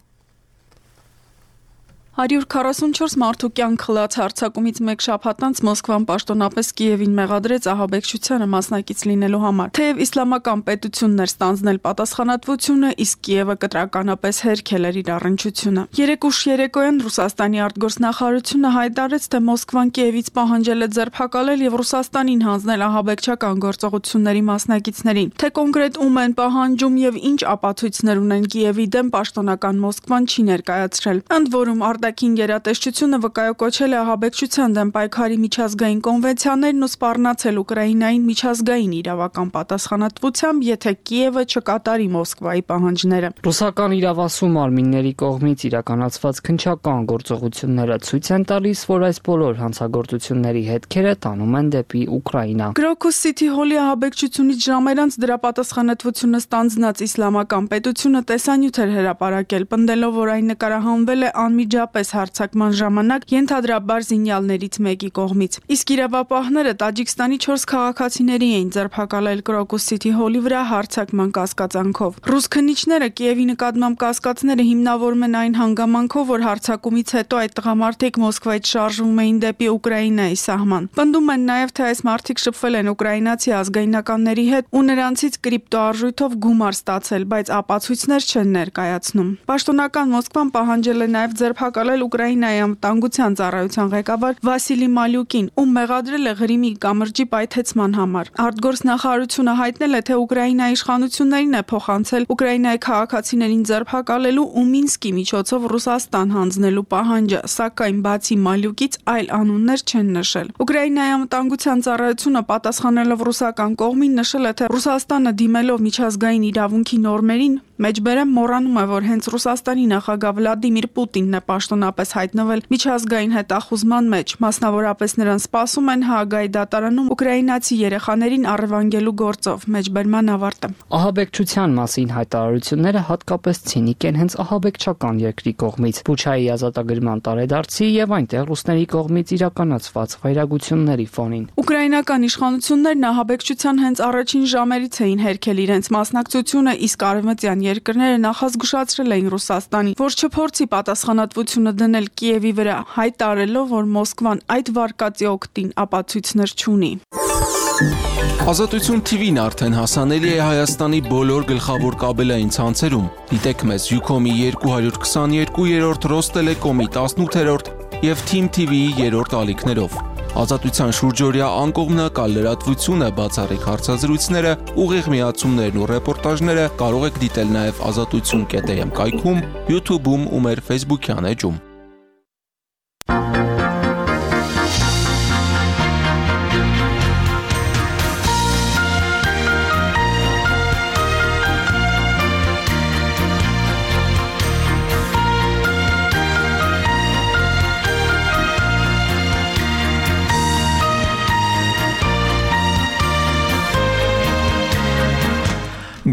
144 մարդու կյանք խլած հարձակումից մեկ շաբաթ անց Մոսկվան պաշտոնապես Կիևին մեղադրեց ահաբեկչությանը մասնակից լինելու համար։ Թեև իսլամական պետությունն էր ստանձնել պատասխանատվությունը, իսկ Կիևը կտրականապես հերքել էր իր առնչությունը։ Երեկ ուշ երեկոյան Ռուսաստանի արտգործնախարարությունը հայտարարեց, թե Մոսկվան Կիևից պահանջել է ձերբակալել եւ Ռուսաստանին հանձնել ահաբեկչական գործողությունների մասնակիցներին։ Թե կոնկրետ ում են պահանջում եւ ինչ ապացույցներ ունեն Կիևի դեմ, պաշտոնական Մոսկվան չի ներկայացրել։ Ընդ որում արտաքին գերատեսչությունը վկայակոչել է ահաբեկչության դեմ պայքարի միջազգային կոնվենցիաներն ու սպառնացել Ուկրաինային միջազգային իրավական պատասխանատվությամբ, եթե Կիևը չկատարի Մոսկվայի պահանջները։ Ռուսական իրավասու մարմինների կողմից իրականացված քննչական գործողությունները ցույց են տալիս, որ այս բոլոր հանցագործությունների հետքերը տանում են դեպի Ուկրաինա։ Կրոկուս Սիթի հոլի ահաբեկչությունից ժամեր անց դրա պատասխանատվությունը ստանձնած իսլամական պետությունը տեսանյութ էր հրապարակել, պնդելով, որ այն նկարահանվել է անմիջապես հարձակման ժամանակ ենթադրաբար զինյալներից մեկի կողմից։ Իսկ իրավապահները Տաջիկստանի 4 քաղաքացիների էին ձերբակալել Կրոկուս Սիթի հոլի վրա հարձակման կասկածանքով։ Ռուս քննիչները Կիևի նկատմամբ կասկածները հիմնավորում են այն հանգամանքով, որ հարձակումից հետո այդ տղամարդիկ Մոսկվայից շարժվում էին դեպի Ուկրաինայի սահման։ Պնդում են նաև, թե այս մարդիկ շփվել են ուկրաինացի ազգայնականների հետ ու նրանցից կրիպտոարժույթով գումար ստացել, բայց ապացույցներ չեն ներկայացնում։ Պաշտոնական Մոսկվան պահանջել է նաև ձերբակալել Ուկրաինայի անվտանգության ծառայության ղեկավար Վասիլի Մալյուկին, ում մեղադրել է Ղրիմի կամրջի պայթեցման համար։ Արտգործնախարարությունը հայտնել է, թե Ուկրաինայի իշխանություններին է փոխանցել Ուկրաինայի քաղաքացիներին ձերբակալելու ու Մինսկի միջոցով Ռուսաստան հանձնելու պահանջը, սակայն բացի Մալյուկից այլ անուններ չեն նշել։ Ուկրաինայի անվտանգության ծառայությունը պատասխանելով ռուսական կողմին նշել է, թե Ռուսաստանը դիմելով միջազգային իրավունքի նորմերին Մեջբերը մոռանում է, որ հենց Ռուսաստանի նախագահ Վլադիմիր Պուտինն է պաշտոնապես հայտնվել միջազգային հետախուզման մեջ, մասնավորապես նրան սպասում են Հաագայի դատարանում ուկրաինացի երեխաներին առևանգելու գործով, մեջբերման ավարտը։ Ահաբեկչության մասին հայտարարությունները հատկապես ցինիկ են հենց ահաբեկչական երկրի կողմից, Բուչայի ազատագրման տարեդարձի եւ այնտեղ ռուսների կողմից իրականացված վայրագությունների ֆոնին։ Ուկրաինական իշխանություններն ահաբեկչության հենց առաջին ժամերից էին հերքել իրենց մասնակցությունը, իսկ արևմտյան երկրները նախազգուշացրել էին Ռուսաստանին, որ չփորձի պատասխանատվությունը դնել Կիևի վրա, հայտարարելով, որ Մոսկվան այդ վարկածի օգտին ապացույցներ չունի։ Ազատություն TV-ն արդեն հասանելի է Հայաստանի բոլոր գլխավոր կաբելային ցանցերում։ Դիտեք մեզ Ucom-ի 222-րդ, Ռոստելեկոմի 18-րդ եւ Team TV-ի 3-րդ ալիքներով։ Ազատության շուրջօրյա անկողմնակալ լրատվությունը, բացառիկ հարցազրույցները, ուղիղ միացումներն ու ռեպորտաժները կարող եք դիտել նաև azatutsun.am կայքում, YouTube-ում ու մեր Facebook-յան էջում։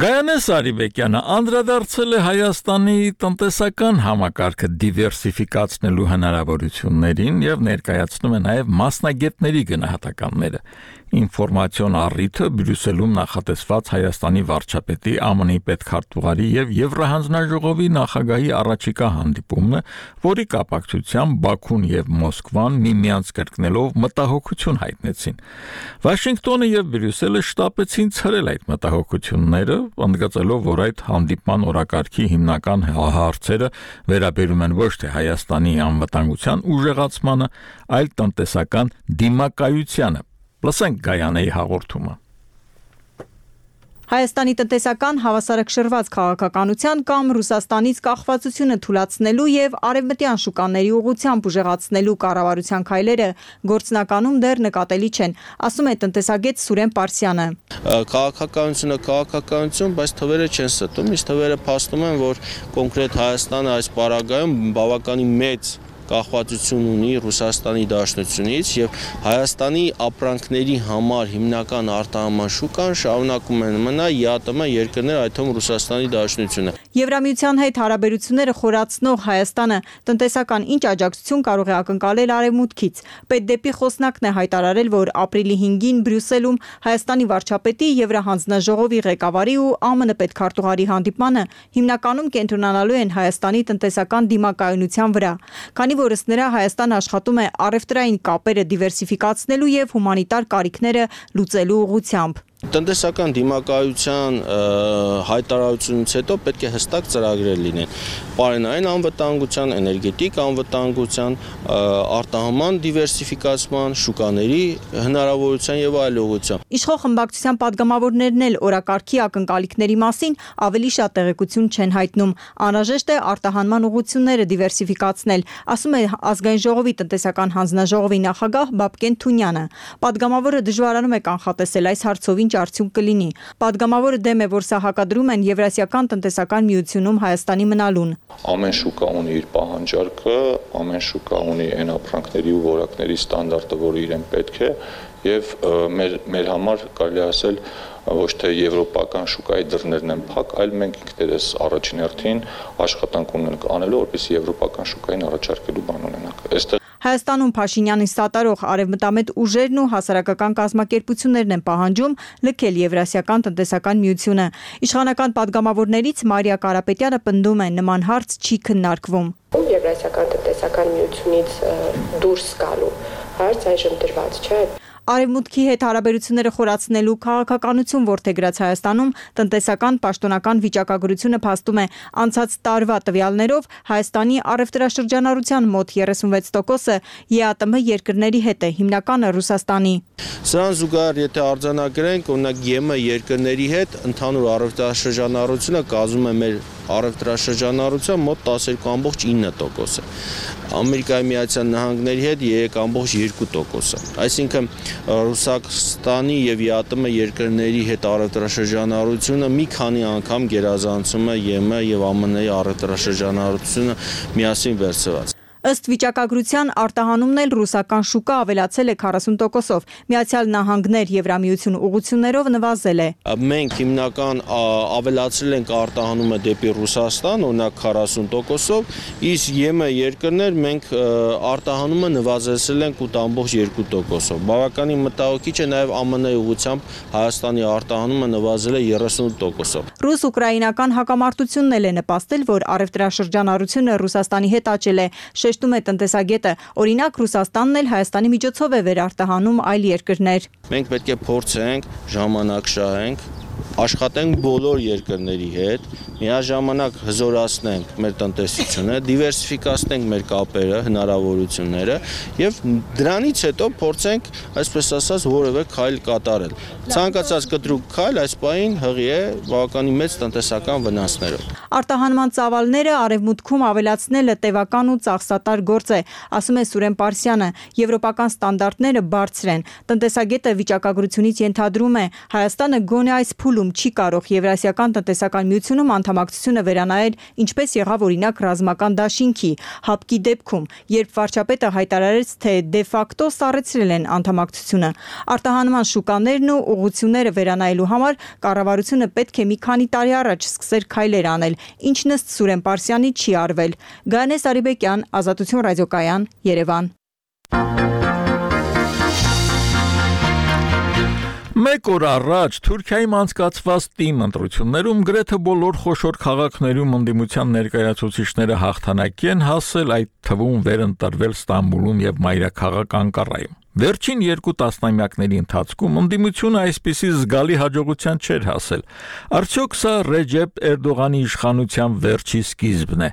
Գայանե Սարիբեկյանը անդրադարձել է Հայաստանի տնտեսական համակարգը դիվերսիֆիկացնելու հնարավորություններին եւ ներկայացնում է նաեւ մասնագետների գնահատականները։ Ինֆորմացիոն առիթը Բրյուսելում նախատեսված Հայաստանի վարչապետի ԱՄՆ-ի պետքարտուղարի եւ Եվրահանձնաժողովի նախագահի առաջիկա հանդիպումն է, որի կապակցությամբ Բաքուն եւ Մոսկվան միմյանց կրկնելով մտահոգություն հայտնեցին։ Վաշինգտոնը եւ Բրյուսելը շտապեցին ցրել այդ մտահոգությունները, ընդգծելով, որ այդ հանդիպման օրակարգի հիմնական հարցերը վերաբերում են ոչ թե Հայաստանի անվտանգության ուժեղացմանը, այլ տնտեսական դիմակայությանը։ Լսենք Գայանեի հաղորդումը։ Հայաստանի տնտեսական հավասարակշռված քաղաքականության կամ Ռուսաստանից կախվածությունը թույլատնելու եւ արևմտյան շուկաների ուղղությամբ ուժեղացնելու կառավարության քայլերը գործնականում դեռ նկատելի չեն, ասում է տնտեսագետ Սուրեն Պարսյանը։ Քաղաքականությունը քաղաքականություն, բայց թվերը չեն ստում, իսկ թվերը փաստում են, որ կոնկրետ Հայաստանը այս պարագայում բավականին մեծ կախվածություն ունի Ռուսաստանի Դաշնությունից եւ Հայաստանի ապրանքների համար հիմնական արտահանման շուկան շարունակում են մնալ ԵԱՏՄ երկրներ, այդ թվում Ռուսաստանի Դաշնությունը։ Եվրամիության հետ հարաբերությունները խորացնող Հայաստանը տնտեսական ինչ աջակցություն կարող է ակնկալել Արևմուտքից։ Պետդեպի խոսնակն է հայտարարել, որ ապրիլի 5-ին Բրյուսելում Հայաստանի վարչապետի, Եվրահանձնաժողովի ղեկավարի ու ԱՄՆ պետքարտուղարի հանդիպմանը հիմնականում կենտրոնանալու են Հայաստանի տնտեսական դիմակայունության վրա, քանի որս նրա Հայաստանը աշխատում է առևտրային կապերը դիվերսիֆիկացնելու եւ հումանիտար կարիքները լուծելու ուղղությամբ։ Տնտեսական դիմակայության հայտարարությունից հետո պետք է հստակ ծրագրեր լինեն պարենային անվտանգության, էներգետիկ անվտանգության, արտահանման դիվերսիֆիկացման, շուկաների հնարավորության եւ այլ ուղղությամբ։ Իշխող խմբակցության падգամավորներն էլ օրակարգի ակնկալիքների մասին ավելի շատ տեղեկություն չեն հայտնում։ Անհրաժեշտ է արտահանման ուղղությունները դիվերսիֆիկացնել, ասում է Ազգային ժողովի տնտեսական հանձնաժողովի նախագահ Բաբկեն Թունյանը։ Падգամավորը դժվարանում է կանխատեսել այս հարցով ինչ արդյունք կլինի։ Падգամավորը դեմ է, որ սա հակադրում են Եվրասիական տնտեսական միությունում Հայաստանի մնալուն։ Ամեն շուկա ունի իր պահանջարկը, ամեն շուկա ունի այն ապրանքների ու որակների ստանդարտը, որը իրեն պետք է, եւ մեր համար կարելի ասել ոչ թե եվրոպական շուկայի դռներն են փակ, այլ մենք ինքներս առաջին հերթին աշխատանք ունենք անելու, որպեսզի եվրոպական շուկային առաջարկելու բան ունենանք։ Հայաստանում Փաշինյանի սատարող արևմտամետ ուժերն ու հասարակական կազմակերպություններն են պահանջում լքել Եվրասիական տնտեսական միությունը։ Իշխանական падգամավորներից Մարիա Կարապետյանը պնդում է, նման հարց չի քննարկվում։ Եվրասիական տնտեսական միությունից դուրս գալու հարց այժմ դրված չէ։ Արևմուտքի հետ հարաբերությունները խորացնելու քաղաքականություն որդեգրած Հայաստանում տնտեսական պաշտոնական վիճակագրությունը փաստում է անցած տարվա տվյալներով Հայաստանի առևտրաշրջանառության մոտ 36%-ը ԵԱՏՄ երկրների հետ է, հիմնականը Ռուսաստանի։ Սրան զուգահեռ, եթե արձանագրենք, օրինակ ԵՄ երկրների հետ ընդհանուր առևտրաշրջանառությունը կազմում է մեր առևտրաշրջանառության մոտ 12.9%-ը։ Ամերիկայի Միացյալ Նահանգների հետ 3.2%-ը։ Այսինքն Ռուսաստանի եւ ԵԱՏՄ երկրների հետ առևտրաշրջանառությունը մի քանի անգամ գերազանցում է ԵՄ եւ ԱՄՆ-ի առևտրաշրջանառությունը միասին վերցված։ Ըստ վիճակագրության արտահանումն էլ ռուսական շուկա ավելացել է 40%-ով, Միացյալ Նահանգներ Եվրամիություն ուղղություններով նվազել է։ Մենք հիմնական ավելացրել ենք արտահանումը դեպի Ռուսաստան, օրինակ 40%-ով, իսկ ԵՄ երկրներ մենք արտահանումը նվազեցրել ենք 8.2%-ով։ Բավականին մտահոգիչ է նաև ԱՄՆ-ի ուղղությամբ Հայաստանի արտահանումը նվազել է 30%-ով։ Ռուս-ուկրաինական հակամարտությունն էլ է նպաստել, որ առևտրաշրջանառությունը Ռուսաստանի հետ աճել է։ Շեշտում է տնտեսագետը, օրինակ Ռուսաստանն էլ Հայաստանի միջոցով է վերարտահանում այլ երկրներ։ Մենք պետք է փորձենք, ժամանակ շահենք, աշխատենք բոլոր երկրների հետ, միաժամանակ հզորացնենք մեր տնտեսությունը, դիվերսիֆիկացնենք մեր կապերը, հնարավորությունները եւ դրանից հետո փորձենք, այսպես ասած, որևէ քայլ կատարել։ Ցանկացած կտրուկ քայլ այս պահին հղի է բավականին մեծ տնտեսական վնասներով։ Արտահանման ծավալները արևմուտքում ավելացնելը տևական ու ծախսատար գործ է, ասում է Սուրեն Պարսյանը, եվրոպական ստանդարտները բարձր են։ Տնտեսագետը վիճակագրությունից ենթադրում է, Հայաստանը գոնե այս փուլում չի կարող Եվրասիական տնտեսական միությունում անդամակցությունը վերանայել, ինչպես եղավ օրինակ ռազմական դաշինքի ՀԱՊԿ-ի դեպքում, երբ վարչապետը հայտարարեց, թե դե ֆակտո սառեցրել են անդամակցությունը։ Արտահանման շուկաներն ու ուղղությունները վերանայելու համար կառավարությունը պետք է մի քանի տարի առաջ սկսեր քայլեր անել, ինչն ըստ Սուրեն Պարսյանի չի արվել։ Գայանե Սարիբեկյան, Ազատություն ռադիոկայան, Երևան։ Մեկ օր առաջ Թուրքիայում անցկացված ՏԻՄ ընտրություններում գրեթե բոլոր խոշոր քաղաքներում ընդդիմության ներկայացուցիչները հաղթանակի են հասել, այդ թվում վերընտրվել Ստամբուլում եւ մայրաքաղաք Անկարայում։ Վերջին 2 տասնամյակների ընթացքում ընդդիմությունը այսպիսի զգալի հաջողության չէր հասել։ Արդյոք սա Ռեջեփ Էրդողանի իշխանության վերջի սկիզբն է։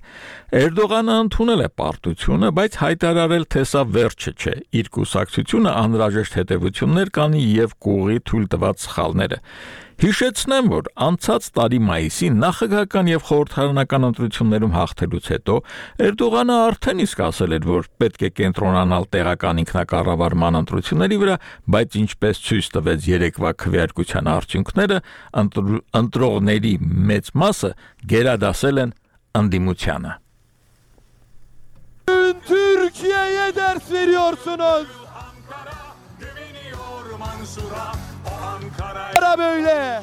Էրդողանը ընդունել է պարտությունը, բայց հայտարարել, թե սա վերջը չէ։ Իր կուսակցությունը անհրաժեշտ հետևություններ կանի եւ կուղի թույլ տված սխալները։ Հիշեցնեմ, որ անցած տարի մայիսին նախագահական եւ խորհրդարանական ընտրություններում հաղթելուց հետո Էրդողանը արդեն իսկ ասել էր, որ պետք է կենտրոնանալ տեղական ինքնակառավարման ընտրությունների վրա, բայց ինչպես ցույց տվեց երեկվա քվեարկության արդյունքները, ընտրողների մեծ մասը գերադասել են ընդդիմությանը։ Türkiye'ye ders veriyorsunuz. Ankara böyle.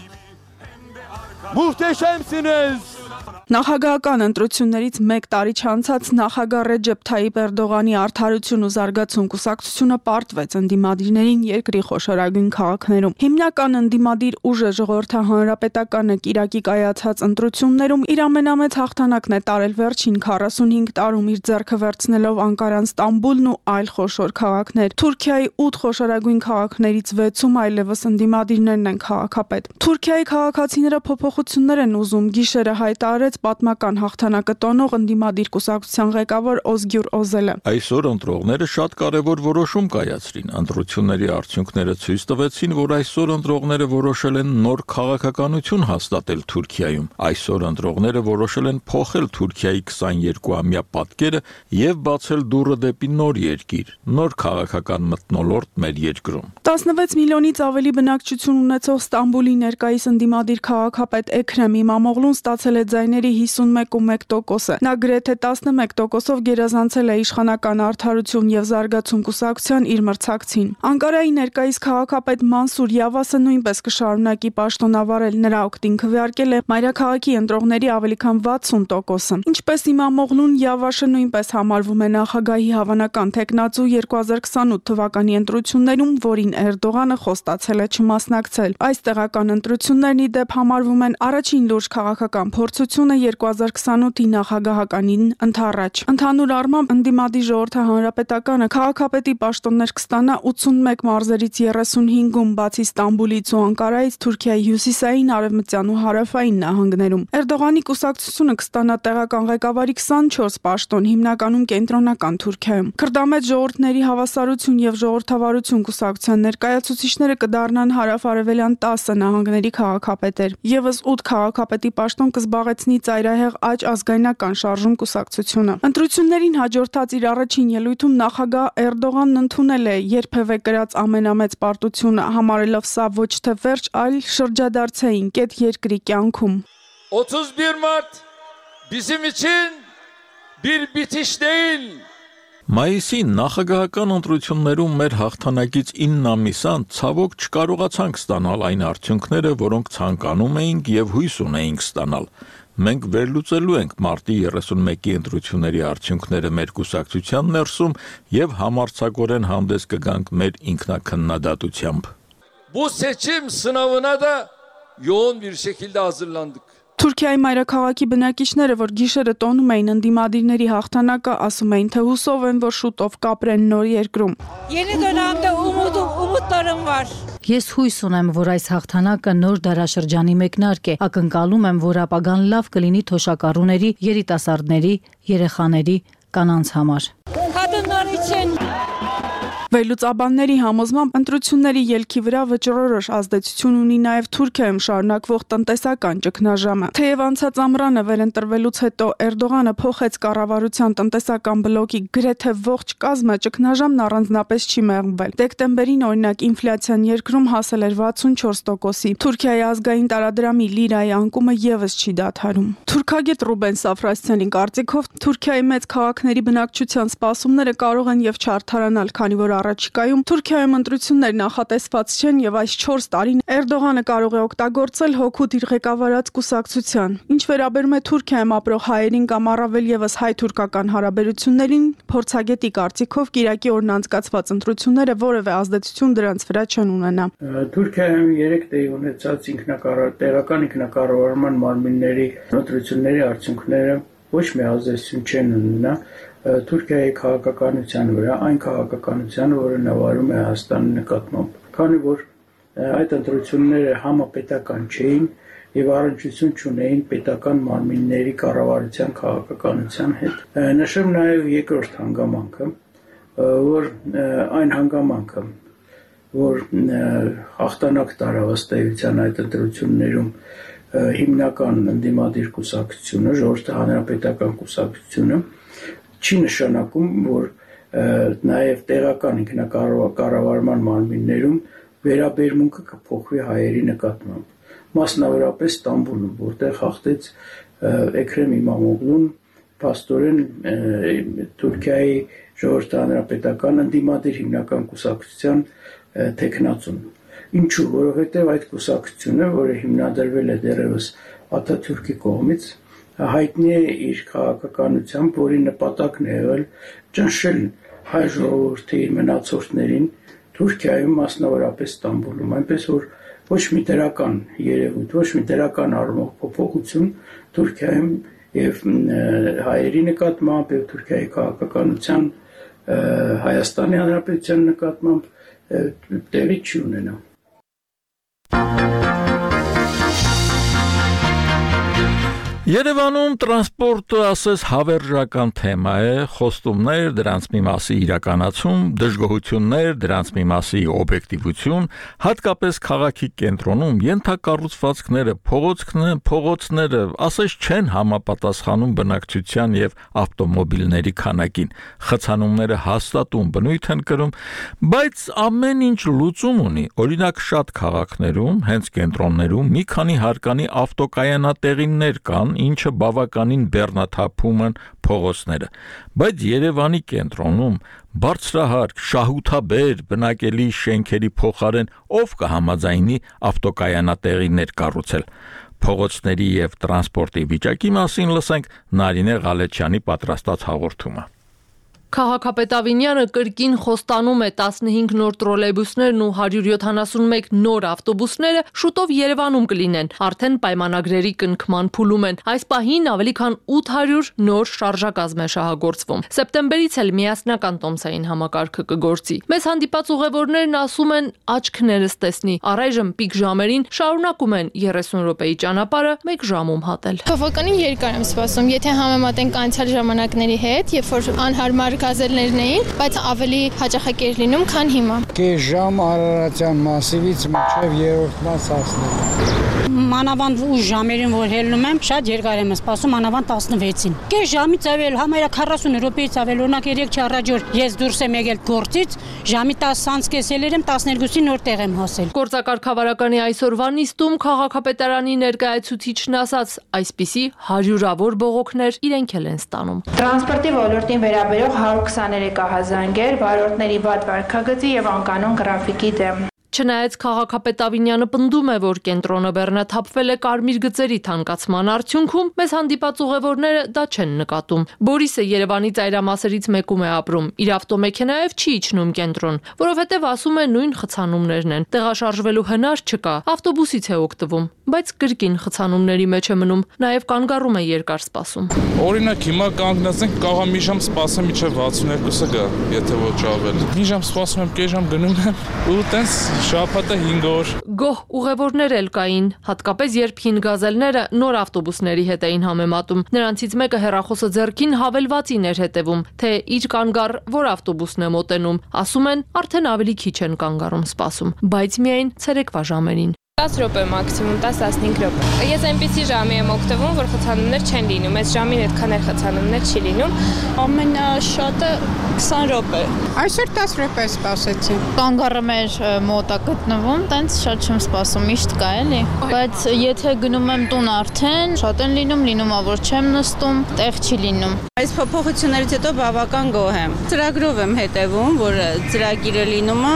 Muhteşemsiniz. Նախագահական ընտրություններից 1 տարի չանցած նախագահ Ռեջեփ Թայիպ Էրդողանի Արդարություն ու զարգացում կուսակցությունը պարտվեց ընդդիմադիրներին երկրի խոշորագույն քաղաքներում։ Հիմնական ընդդիմադիր ուժը ժողովրդահանրապետականը Կիրակի կայացած ընտրություններում իր ամենամեծ հաղթանակն է տարել վերջին 45 տարում իր ձեռքը վերցնելով Անկարան, Ստամբուլն ու այլ խոշոր քաղաքներ։ Թուրքիայի 8 խոշորագույն քաղաքներից 6-ում այլևս ընդդիմադիրներն են քաղաքապետ։ Թուրքիայի քաղաքացիները փոփոխություններ են ուզում, գիշերը հայտարարեց պատմական հաղթանակը տոնող ընդդիմադիր կուսակցության ղեկավար Օզգյուր Օզելը։ Այսօր ընտրողները շատ կարևոր որոշում կայացրին։ Ընտրությունների արդյունքները ցույց տվեցին, որ այսօր ընտրողները որոշել են նոր քաղաքականություն հաստատել Թուրքիայում։ Այսօր ընտրողները որոշել են փոխել Թուրքիայի 22-ամյա պատկերը եւ բացել դուռը դեպի նոր երկիր, նոր քաղաքական մթնոլորտ մեր երկրում։ 16 միլիոնից ավելի բնակչություն ունեցող Ստամբուլի ներկայիս ընդդիմադիր քաղաքապետ Էքրեմ Իմամօղլուն ստացել է ձայների 51.1%-ը։ Նա գրեթե 11%-ով գերազանցել է իշխանական Արդարություն եւ զարգացում կուսակցության իր մրցակցին։ Անկարայի ներկայիս քաղաքապետ Մանսուր Յավասը նույնպես կշարունակի պաշտոնավարել, նրա օգտին քվեարկել է մայրաքաղաքի ընտրողների ավելի քան 60%-ը։ Ինչպես Իմամօղլուն, Յավաշը նույնպես համարվում է նախագահի հավանական թեկնածու 2028 թվականի ընտրություններում, որին Էրդողանը խոստացել է չմասնակցել։ Այս տեղական ընտրություններն ի դեպ համարվում են առաջին լուրջ քաղաքական փորձությունը 2028-ի նախագահականին ընդառաջ։ Ընդհանուր առմամբ ընդդիմադիր ժողովրդահանրապետականը քաղաքապետի պաշտոններ կստանա 81 մարզերից 35-ում, բացի Ստամբուլից ու Անկարայից Թուրքիայի հյուսիսային, արևմտյան ու հարավային նահանգներում։ Էրդողանի կուսակցությունը կստանա տեղական ղեկավարի 24 պաշտոն, հիմնականում կենտրոնական Թուրքիայում։ Քրդամետ ժողովուրդների հավասարություն եւ ժողովրդավարություն կուսակցության ներկայացուցիչները կդառնան հարավ-արևելյան 10 նահանգների քաղաքապետեր։ Եվս 8 քաղաքապետի պաշտոն կզբաղեցնի ծայրահեղ աճ ազգայնական շարժում կուսակցությունը։ Ընտրություններին հաջորդած իր առաջին ելույթում նախագահ Էրդողանն ընդունել է երբևէ կրած ամենամեծ պարտությունը, համարելով սա ոչ թե վերջ, այլ շրջադարձային կետ երկրի կյանքում։ 31 Mart bizim için bir bitiş değil. Մայիսին նախագահական ընտրություններում մեր հաղթանակից 9 ամիս անց ցավոք չկարողացանք ստանալ այն արդյունքները, որոնք ցանկանում էինք եւ հույս ունեինք ստանալ։ Մենք վերլուծելու ենք մարտի 31-ի ընտրությունների արդյունքները մեր կուսակցության ներսում եւ համարձակորեն հանդես կգանք մեր ինքնակնդատությամբ։ Bu seçim sınavına da yoğun bir şekilde hazırlandık. Թուրքիայի մայրաքաղաքի բնակիչները, որ գիշերը տոնում էին ընդդիմադիրների հաղթանակը, ասում էին, թե հուսով են, որ շուտով կապրեն նոր երկրում։ Yeni dönemde umutlarım var. Ես հույս ունեմ, որ այս հաղթանակը նոր դարաշրջանի մեկնարկ է, ակնկալում եմ, որ ապագան լավ կլինի թոշակառուների, երիտասարդների, երեխաների, կանանց համար։ Kadınlar için Վերլուծաբանների համոզմամբ ընտրությունների ելքի վրա վճռորոշ ազդեցություն ունի նաև Թուրքիայում շարունակվող տնտեսական ճգնաժամը։ Թեև անցած ամռանը վերընտրվելուց հետո Էրդողանը փոխեց կառավարության տնտեսական բլոկի գրեթե ողջ կազմը, ճգնաժամն առանձնապես չի մեղմվել։ Դեկտեմբերին օրինակ ինֆլյացիան երկրում հասել էր 64%-ի։ Թուրքիայի ազգային տարադրամի լիրայի անկումը եւս չի դադարում։ Թուրքագետ Ռուբեն Սաֆրասյանի կարծիքով Թուրքիայի մեծ քաղաքների բնակչության սպասումները կարող են եւ չարդարանալ, քանի որ առաջիկայում Թուրքիայում ընտրություններ նախատեսված չեն եւ այս 4 տարին Էրդողանը կարող է օգտագործել հօգուտ իր ղեկավարած կուսակցության։ Ինչ վերաբերում է Թուրքիայում ապրող հայերին կամ առավել եւս հայ-թուրքական հարաբերություններին, փորձագետի կարծիքով Կիրակի օրն անցկացված ընտրությունները որևէ ազդեցություն դրանց վրա չեն ունենա։ Թուրքիայում 3 տեղի ունեցած տեղական ինքնակառավարման մարմինների ընտրությունների արդյունքները ոչ մի ազդեցություն չեն ունենա Թուրքիայի քաղաքականության վրա, այն քաղաքականությանը, որը նավարում է Հայաստանի նկատմամբ, քանի որ այդ ընտրությունները համապետական չէին եւ առնչություն չունեին պետական մարմինների կառավարության քաղաքականության հետ։ Նշեմ նաեւ երկրորդ հանգամանքը, որ այն հանգամանքը, որ հաղթանակ տարավ ըստ էության այդ ընտրություններում հիմնական ընդդիմադիր կուսակցությունը, ժողովրդի հանրապետական կուսակցությունը չի նշանակում, որ նաև տեղական ինքնակառավարման մարմիններում վերաբերմունքը կփոխվի հայերի նկատմամբ։ Մասնավորապես Ստամբուլում, որտեղ հաղթեց Էքրեմ Իմամօղլուն, փաստորեն Թուրքիայի ժողովրդի հանրապետական ընդդիմադիր հիմնական կուսակցության տեխնացուն։ Ինչու՞, որովհետև այդ կուսակցությունը, որը հիմնադրվել է դեռևս Աթաթուրքի կողմից, հայտնի է իր քաղաքականությամբ, որի նպատակն է եղել ճնշել հայ ժողովրդի մնացորդներին Թուրքիայում, մասնավորապես Ստամբուլում, այնպես որ ոչ մի դրական երևույթ, ոչ մի դրական առումով փոփոխություն Թուրքիայում եւ հայերի նկատմամբ եւ Թուրքիայի քաղաքականության Հայաստանի Հանրապետության նկատմամբ տեղի չի ունենա։ Երևանում տրանսպորտը ասես հավերժական թեմա է, խոստումներ, դրանց մի մասի իրականացում, դժգոհություններ, դրանց մի մասի օբյեկտիվություն, հատկապես քաղաքի կենտրոնում ենթակառուցվածքները, փողոցները ասես չեն համապատասխանում բնակչության եւ ավտոմոբիլների քանակին, խցանումները հաստատում բնույթ են կրում, բայց ամեն ինչ լուծում ունի, օրինակ շատ քաղաքներում, հենց կենտրոններում մի քանի հարկանի ավտոկայանատեղիներ կան, ինչը բավականին բեռնաթափում են փողոցները, բայց Երևանի կենտրոնում բարձրահարկ, շահութաբեր բնակելի շենքերի փոխարեն ով կհամաձայնի ավտոկայանատեղիներ կառուցել։ Փողոցների եւ տրանսպորտի վիճակի մասին լսենք Նարինե Ղալեչյանի պատրաստած հաղորդումը։ Քաղաքապետ կրկին խոստանում է 15 նոր տրոլեյբուսներն ու 171 նոր ավտոբուսները շուտով Երևանում կլինեն, արդեն պայմանագրերի կնքման փուլում են։ Այս պահին ավելի քան 800 նոր շարժակազմ է շահագործվում։ Սեպտեմբերից էլ միասնական տոմսային համակարգը կգործի։ Մեզ հանդիպած ուղևորներն ասում են աչքներս տեսնի, առայժմ պիկ ժամերին շարունակում են 30 րոպեի ճանապարհը 1 ժամում հատել։ Բավականին երկար եմ սպասում, եթե համեմատենք անցյալ ժամանակների հետ, երբ որ անհարմար գազելներն էին, բայց ավելի հաճախակ էր լինում, քան հիմա։ Կես ժամ Արարատյան մասիվից մինչև երրորդ մաս հասնել։ Մանավանդ ու ժամերին, որ հելնում եմ, շատ երկար եմ սպասում, մանավանդ 16-ին։ Կես ժամից ավել, համարյա 40 րոպեից ավել, օրինակ 3 առաջ ես դուրս եմ եկել գործից, ժամի 10-ից կեսել եմ 12-ին նոր տեղ եմ հասել։ Գործակարգավարականի այսօրվա նիստում քաղաքապետարանի ներկայացուցիչն ասաց, այսպիսի հարյուրավոր բողոքներ իրենք են ստանում։ Տրանսպորտի ոլորտին վերաբերող 123 ահազանգեր, վարորդների վատ վարքագծի եւ անկանոն գրաֆիկի դեմ։ Չնայած քաղաքապետ Ավինյանը պնդում է, որ կենտրոնը բեռնաթափվել է կարմիր գծերի թանկացման արդյունքում, մեզ հանդիպած ուղևորները դա չեն նկատում։ Բորիսը Երևանի ծայրամասերից մեկում է ապրում, իր ավտոմեքենայով չի իջնում կենտրոն, որովհետև ասում է նույն խցանումներն են, տեղաշարժվելու հնար չկա, ավտոբուսից է օգտվում, բայց կրկին խցանումների մեջ է մնում, նաև կանգառում է երկար սպասում։ Օրինակ հիմա կանգնեցենք, կարող մի ժամ սպասեմ մինչև 62-ը գա, եթե ոչ ավել։ Մի ժամ սպասում եմ, կես ժամ գնում եմ ու տենց շաբաթը 5 օր։ Գոհ ուղևորներ էլ կային, հատկապես երբ հին գազելները նոր ավտոբուսների հետ էին համեմատում։ Նրանցից մեկը հեռախոսը ձեռքին հավելվածին էր հետևում, թե իր կանգառ որ ավտոբուսն է մոտենում։ Ասում են, արդեն ավելի քիչ են կանգառում սպասում, բայց միայն ցերեկվա ժամերին։ 10 րոպե մաքսիմում 10-15 րոպե։ Ես այնպիսի ժամի եմ օգտվում, որ խցանումներ չեն լինում, այս ժամին այդքան էլ խցանումներ չի լինում։ Ամենաշատը 20 րոպե։ Այսօր 10 րոպե սպասեցի։ Կանգառը մեր մոտ է գտնվում, տենց շատ չեմ սպասում, միշտ կա էլի։ Բայց եթե գնում եմ տուն արդեն, շատ են լինում, որ չեմ նստում, տեղ չի լինում։ Այս փոփոխություններից հետո բավական գոհ եմ։ Ծրագրով եմ հետևում, որ ծրագիրը լինում է,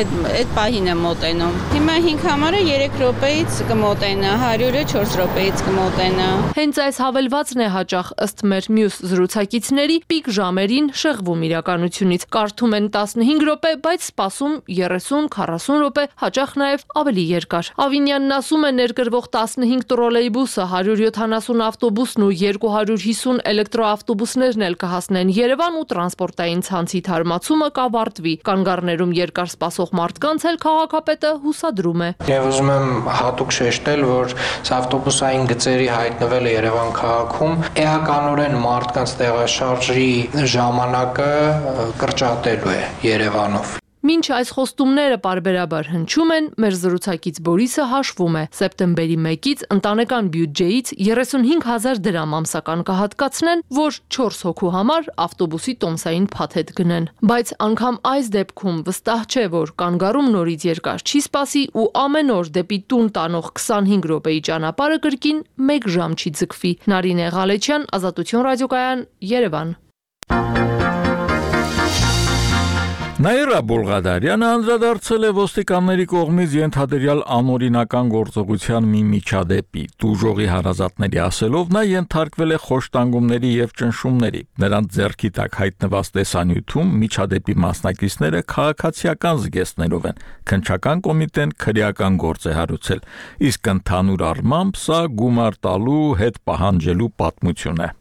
այդ պահին եմ մոտենում։ Հիմա 5 համարը 3 րոպեից կմոտենա, 100-ը 4 րոպեից կմոտենա։ Հենց այս հավելվածն է հաճախ ըստ մեր մյուս զրուցակիցների պիկ ժամերին շեղվում իրականությունից։ Կարդում են 15 րոպե, բայց սպասում 30-40 րոպե, հաճախ նաև ավելի երկար։ Ավինյանն ասում է ներգրվող 15 տրոլեյբուսը, 170 ավտոբուսն ու 250 էլեկտրոավտոբուսներն էլ կհասնեն Երևան ու տրանսպորտային ցանցի թարմացումը կավարտվի։ Կանգառներում երկար սպասող մարդկանց էլ քաղաքապետը հուսադրում է։ Ուզում եմ հատուկ շեշտել, որ ավտոբուսային գծերի հայտնվելը Երևան քաղաքում էականորեն մարդկանց տեղաշարժի ժամանակը կրճատելու է Երևանով։ Մինչ այս խոստումները պարբերաբար հնչում են, մեր զրուցակից Բորիսը հաշվում է, սեպտեմբերի 1-ից ընտանեկան բյուջեից 35,000 դրամ ամսական կհատկացնեն, որ 4 հոգու համար ավտոբուսի տոմսային փաթեթ գնեն։ Բայց անգամ այս դեպքում վստահ չէ, որ կանգառում նորից երկար չի սպասի ու ամեն օր դեպի տուն տանող 25 րոպեի ճանապարհը կրկին 1 ժամ չի ձգվի։ Նարինե Ղալեչյան, Ազատություն ռադիոկայան, Երևան։ Նաիրա Բոլղադարյանը անդրադարձել է ոստիկանների կողմից ենթադրյալ անօրինական գործողության մի միջադեպի։ Դուժողի հարազատների ասելով, նա ենթարկվել է խոշտանգումների եւ ճնշումների։ Նրանց ձեռքի տակ հայտնված տեսանյութում միջադեպի մասնակիցները քաղաքացիական զգեստներով են։ Քննչական կոմիտեն քրեական գործ է հարուցել, իսկ ընդհանուր առմամբ սա գումար տալու հետ պահանջելու պատմություն է։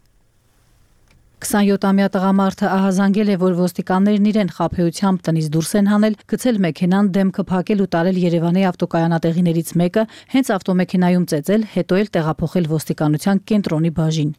27-ամյա տղամարդը ահազանգել է, որ ոստիկաններն իրեն խաբեությամբ տնից դուրս են հանել, գցել մեքենան, դեմքը փակել ու տարել Երևանի ավտոկայանատեղիներից մեկը, հենց ավտոմեքենայում ծեծել, հետո էլ տեղափոխել ոստիկանության կենտրոնի բաժին։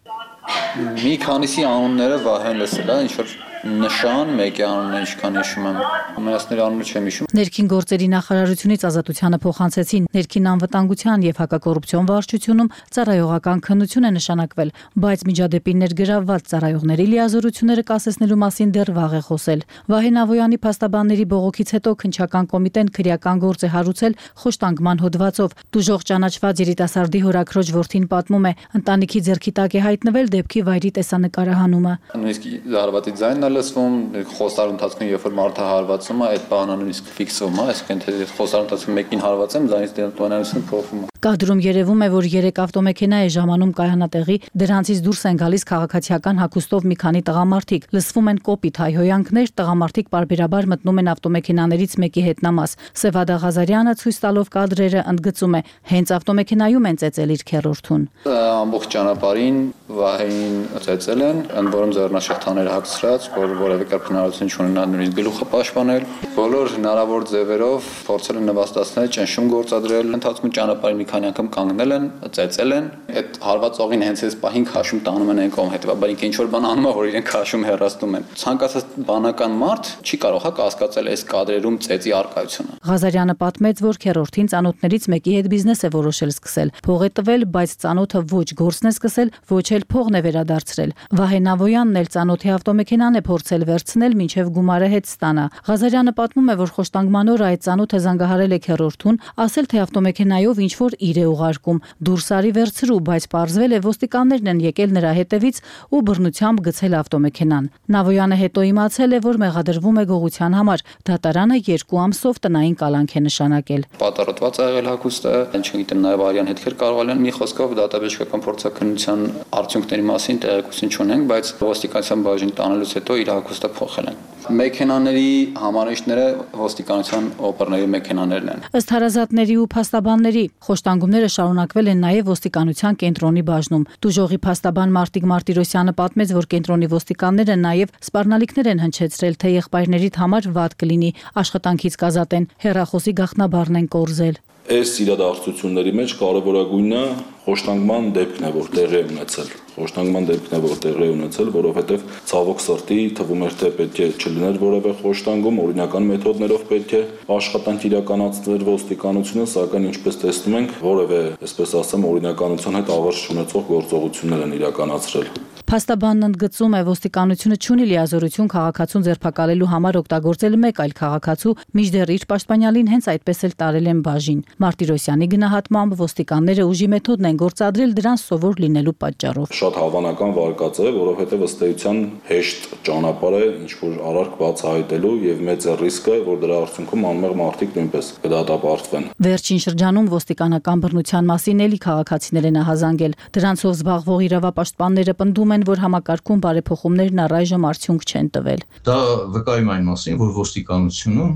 Մի քանիսի անունները վահեն լսել է, ինչ որ նշան, մեկի անունը ինչքան հիշում եմ, ամենասների անունը չեմ հիշում։ Ներքին գործերի նախարարությունից Ազատությանը փոխանցեցին ներքին անվտանգության եւ հակակոռուպցիոն վարչությունում ծառայողական քննություն է նշանակվել, բայց միջադեպին ներգրավված ծառայողների լիազորությունները կասեցնելու մասին դեռ վաղ է խոսել։ Վահեն Ավոյանի փաստաբանների բողոքից հետո քննչական կոմիտեն քրեական գործ է հարուցել խոշտանգման հոդվածով։ Դուժող ճանաչված երիտասարդի հորաքրոջ որդին պատմում է, ընտանիքի ձեռքի տակ է հայտնվել դեպքի վայրի տեսանկարահանումը։ Նույնիսկ զարվածի ձայնն լսվում, խոստարու ընթացքում երբ որ մարդը հարվածում է, այդ բանը նույնիսկ ֆիքսվում է, այսինքն թե խոստարու ընթացքում մեկին հարվածեմ, ձայնից տոնայնությունը փոխվում է։ Կադրում երևում է, որ 3 ավտոմեքենա է ժամանում կայանատեղի, դրանցից դուրս են գալիս քաղաքացիական հագուստով մի քանի տղամարդիկ, լսվում են կոպիտ հայհոյանքներ, տղամարդիկ պարբերաբար մտնում են ավտոմեքենաներից մեկի հետնամաս։ Սևադա Ղազարյանը ցույց տալով կադրերը ընդգծում է, հենց ավտոմեքենայում են ծեծել իր քեռորդուն։ Ամբողջ ճանապարհին Վահեին ծեծել են, ընդ որում ձեռնաշղթաները հագցրած, որ որևէ կերպ հնարավորություն չունենա նույնիսկ գլուխը պաշտպանել։ Բոլոր հնարավոր ձևերով փորձել են նվաստացնել, ճնշում գործադրել, ընթացքում ճանապարհին մի քանի անգամ կանգնել են, ծեծել են։ Այդ հարվածողին հենց այս պահին քաշում տանում են այն կողմ, հետեւաբար ինքը ինչ որ բան անում է, որ իրեն քաշում հեռացնում են։ Ցանկացած բանական մարդ չի կարող կասկածել այս կադրերում ծեծի առկայությունը։ Ղազարյանը պատմեց, որ քեռորդին ծանոթներից մեկի հետ բիզնես է որոշել սկսել։ Փող է տվել, բայց ծանոթը ոչ գործն է սկսել, ոչ էլ փողն է վերադարձրել։ Վահե Նավոյանն էլ ծանոթի ավտոմեքենան է փորձել վերցնել, մինչև գումարը հետ ստանա։ Ղազարյանը պատմում է, որ խոշտանգման օրը այդ ծանոթը զանգահարել է քեռորդուն, ասել թե ավտոմեքենայով ինչ որ իր է ուղարկում։ Դուրս արի վերցրու, բայց պարզվել է ոստիկաններն են եկել նրա հետևից ու բռնությամբ գցել ավտոմեքենան։ Նավոյանը հետո իմացել է, որ մեղադրվում է գողության համար։ Դատարանը 2 ամսով տնային կալանք է նշանակել։ Պատառոտված է եղել հագուստը, չգիտեմ, նաև արյան հետքեր կարող են մի խոսքով դատաբժշկական փորձաքննության արդյունքների մասին տեղեկություն չունենք, բայց ոստիկանության բաժին տանելուց հետո իր հագուստը փոխել են։ Մեքենաների համարիչները ոստիկանության օպերների մեքենաներն են։ Ըստ հարազատների ու փաստաբանների, խոշտանգումները շարունակվել են նաև ոստիկանության կենտրոնի բաժնում։ Դուժողի փաստաբան Մարտիկ Մարտիրոսյանը պատմեց, որ կենտրոնի ոստիկանները նաև սպառնալիքներ են հնչեցրել, թե եղբայրներիդ համար վատ կլինի, աշխատանքից կազատեն, հեռախոսի գաղտնաբառն են կորզել։ Այս իրադարձությունների մեջ կարևորագույնը խոշտանգման դեպքն է, որ տեղի է ունեցել։ Խոշտանգման դեպքն է, որ տեղի է ունեցել, որովհետև ցավոք սրտի թվում էր, թե պետք է չլիներ որևէ խոշտանգում, օրինական մեթոդներով պետք է աշխատանք իրականացներ ոստիկանությունը, սակայն ինչպես տեսնում ենք, որևէ, այսպես ասեմ, օրինականության հետ ավերջ չունեցող գործողություններ են իրականացրել։ Փաստաբանն ընդգծում է, ոստիկանությունը չունի լիազորություն քաղաքացուն ձերբակալելու համար օգտագործել մեկ այլ քաղաքացու, մինչդեռ իր պաշտպանյալին հենց այդպես էլ տարել են բաժին։ Մարտիրոսյանի գնահատմամբ ոստիկանները ուժի մեթոդն են գործադրել դրան սովոր լինելու պատճառով։ Շատ հավանական վարկած է, որովհետև ըստ էության հեշտ ճանապարհ է ինչ որ արարք բացահայտելու եւ մեծ է ռիսկը, որ դրա արդյունքում անմեղ մարդիկ նույնպես կդատապարտվեն։ Վերջին շրջանում ոստիկանական բռնության մասին էլի քաղաքացիներ են ահազանգել։ Դրանցով զբաղվող իրավապաշտպանները պնդում են, որ համակարգում բարեփոխումներն առայժմ արդյունք չեն տվել։ Դա վկայում այն մասին, որ ոստիկանությունում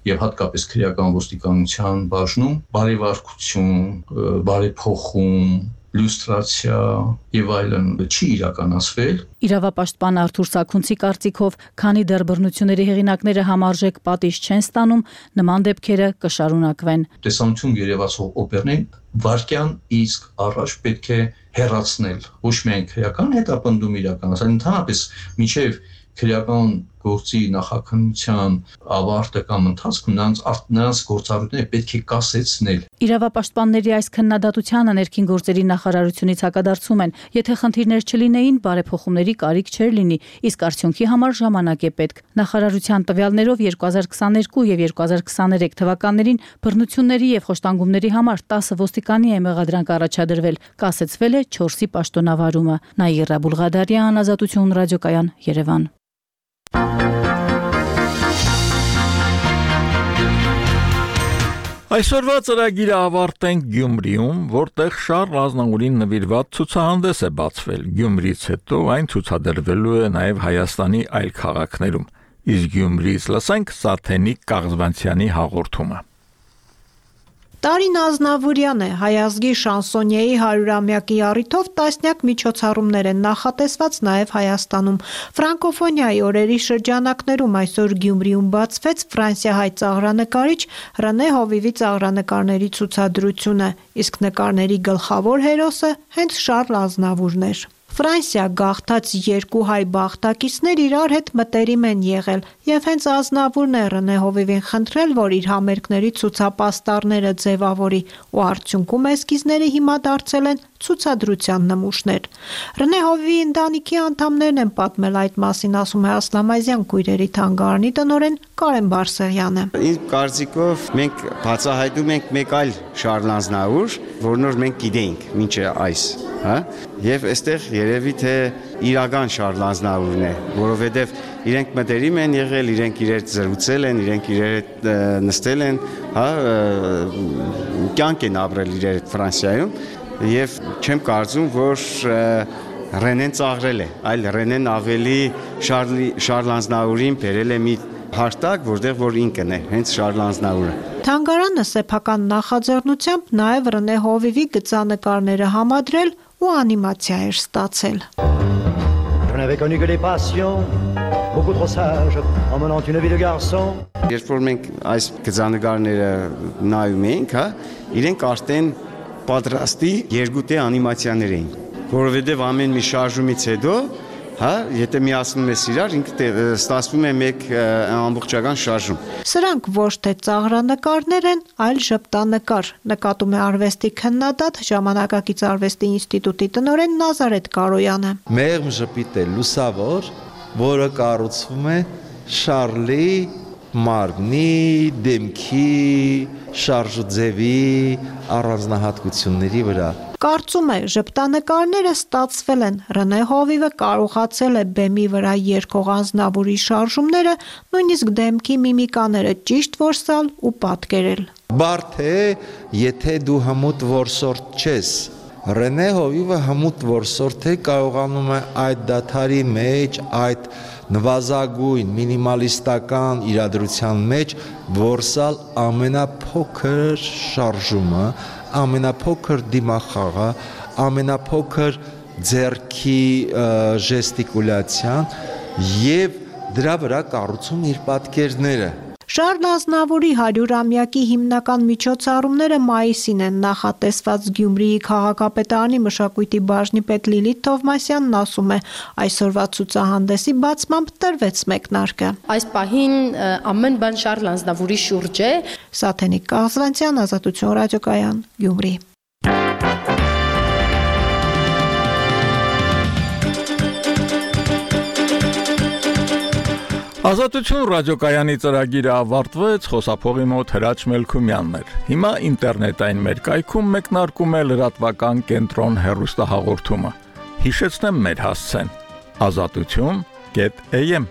եւ հատկապես քրեական ոստիկանության բաժնում բարեվարկություն, բարեփոխում, լյուստրացիա եւ այլն չի իրականացվել։ Իրավապաշտպան Արթուր Սաքունցի կարծիքով, քանի դեռ բռնությունների հեղինակները համարժեք պատիժ չեն ստանում, նման դեպքերը կշարունակվեն։ Տեսանյութում երևացող օպերներին վարկյան իսկ առաջ պետք է հեռացնել, ոչ միայն քրեական հետապնդում իրականացնել, ընդհանրապես միջև քրեական գործի նախաքննության ավարտը կամ ընթացքում նրանց գործառույթները պետք է կասեցնել։ Իրավապաշտպանների այս քննադատությանը ներքին գործերի նախարարությունից հակադարձում են, եթե խնդիրներ չլինեին, բարեփոխումների կարիք չէր լինի, իսկ արդյունքի համար ժամանակ է պետք։ Նախարարության տվյալներով 2022 եւ 2023 թվականներին բռնությունների եւ խոշտանգումների համար 10 ոստիկանի է մեղադրանք առաջադրվել, կասեցվել է 4-ի պաշտոնավարումը։ Նաիրա Բուլղադարյան, Ազատություն ռադիոկայան, Երևան։ Այսօրվա ծրագիրը ավարտենք Գյումրիում, որտեղ Շարլ Ազնավուրին նվիրված ցուցահանդես է բացվել։ Գյումրիից հետո այն ցուցադրվելու է նաև Հայաստանի այլ քաղաքներում։ Իսկ Գյումրիից լսենք Սաթենիկ Կաղզվանցյանի հաղորդումը։ Տարին Ազնավուրյան է, հայ ազգի շանսոնիեի 100-ամյակի առիթով տասնյակ միջոցառումներ են նախատեսված նաև Հայաստանում։ Ֆրանկոֆոնիայի օրերի շրջանակներում այսօր Գյումրիում բացվեց ֆրանսիահայ ծաղրանկարիչ Ռենե Հովիվի ծաղրանկարների ցուցադրությունը, իսկ նկարների գլխավոր հերոսը հենց Շարլ Ազնավուրն էր։ Ֆրանսիա գաղթած երկու հայ բաղթակիցներ իրար հետ մտերիմ են եղել եւ հենց Ազնավուրն է Ռենե Հովիվին խնդրել, որ իր համերգների ցուցապաստառները ձևավորի ու արդյունքում էսկիզները հիմա դարձել են ցուցադրության նմուշներ։ Ռենե Հովիվի ընտանիքի անդամներն են պատմել այդ մասին, ասում է Ասլամազյան քույրերի թանգարանի տնօրեն Կարեն Բարսեղյանը։ Իմ կարծիքով մենք բացահայտում ենք մեկ այլ Շարլ Ազնավուր, որն որ մենք գիտենք մինչև այս, հա? Եվ այստեղ երևի թե իրական Շարլ Ազնավուրն է, որովհետև իրենք մտերիմ են եղել, իրենք իրար զրուցել են, իրենք իրար հետ նստել են, հա, կյանք են ապրել իրար հետ Ֆրանսիայում, եւ չեմ կարծում, որ Ռենեն ծաղրել է, այլ Ռենեն ավելի Շարլ Ազնավուրին բերել է մի հարտակ, որտեղ որ ինքն է, հենց Շարլ Ազնավուրը։ Թանգարանը սեփական նախաձեռնությամբ նաև Ռենե Հովիվի գծանկարները համադրել ու անիմացիա էր ստացել։ Je n'avais connu que des passions, beaucoup trop sage, en menant une vie de garçon. Երբ որ մենք այս գծանկարները նայում էինք, իրենք արդեն պատրաստի երկուտե անիմացիաներ էին, որովհետև ամեն մի շարժումից հետո, եթե միացնում ես իրար, ինքը ստացվում է մեկ ամբողջական շարժում։ Սրանք ոչ թե ծաղրանկարներ են, այլ ժպտանկար, նկատում է արվեստի քննադատ, Ժամանակակից արվեստի ինստիտուտի տնօրեն Նազարեթ Կարոյանը։ Մեղմ ժպիտ է լուսավոր, որը կառուցվում է Շարլի մարմնի, դեմքի, շարժուձևի առանձնահատկությունների վրա։ Կարծում է, ժպտանկարները ստացվել են, Ռենե Հովիվը կարողացել է բեմի վրա երգող անձնավորի շարժումները, նույնիսկ դեմքի միմիկաները ճիշտ որսալ ու պատկերել։ Բարդ է, եթե դու հմուտ որսորդ չես։ Ռենե Հովիվը հմուտ որսորդ է, կարողանում է այդ դադարի մեջ, այդ նվազագույն մինիմալիստական իրադրության մեջ որսալ ամենափոքր շարժումը, ամենափոքր դիմախաղը, ամենափոքր ձեռքի ժեստիկուլյացիան եւ դրա վրա կառուցում իր պատկերները։ Շարլ Ազնավուրի 100-ամյակի հիմնական միջոցառումները մայիսին են նախատեսված։ Գյումրիի քաղաքապետարանի մշակույթի բաժնի պետ Լիլիթ Թովմասյանն ասում է, այսօրվա ցուցահանդեսի բացմամբ տրվեց մեկնարկը։ Այս պահին ամեն բան Շարլ Ազնավուրի շուրջ է։ Սաթենիկ Կազվանցյան, Ազատություն ռադիոկայան, Գյումրի։ Ազատություն ռադիոկայանի ծրագիրը ավարտվեց, խոսափողի մոտ Հրաչ Մելքումյանն էր։ Հիմա ինտերնետային մեր կայքում մեկնարկում է լրատվական կենտրոն հեռուստահաղորդումը։ Հիշեցնեմ մեր հասցեն՝ azatutyon.am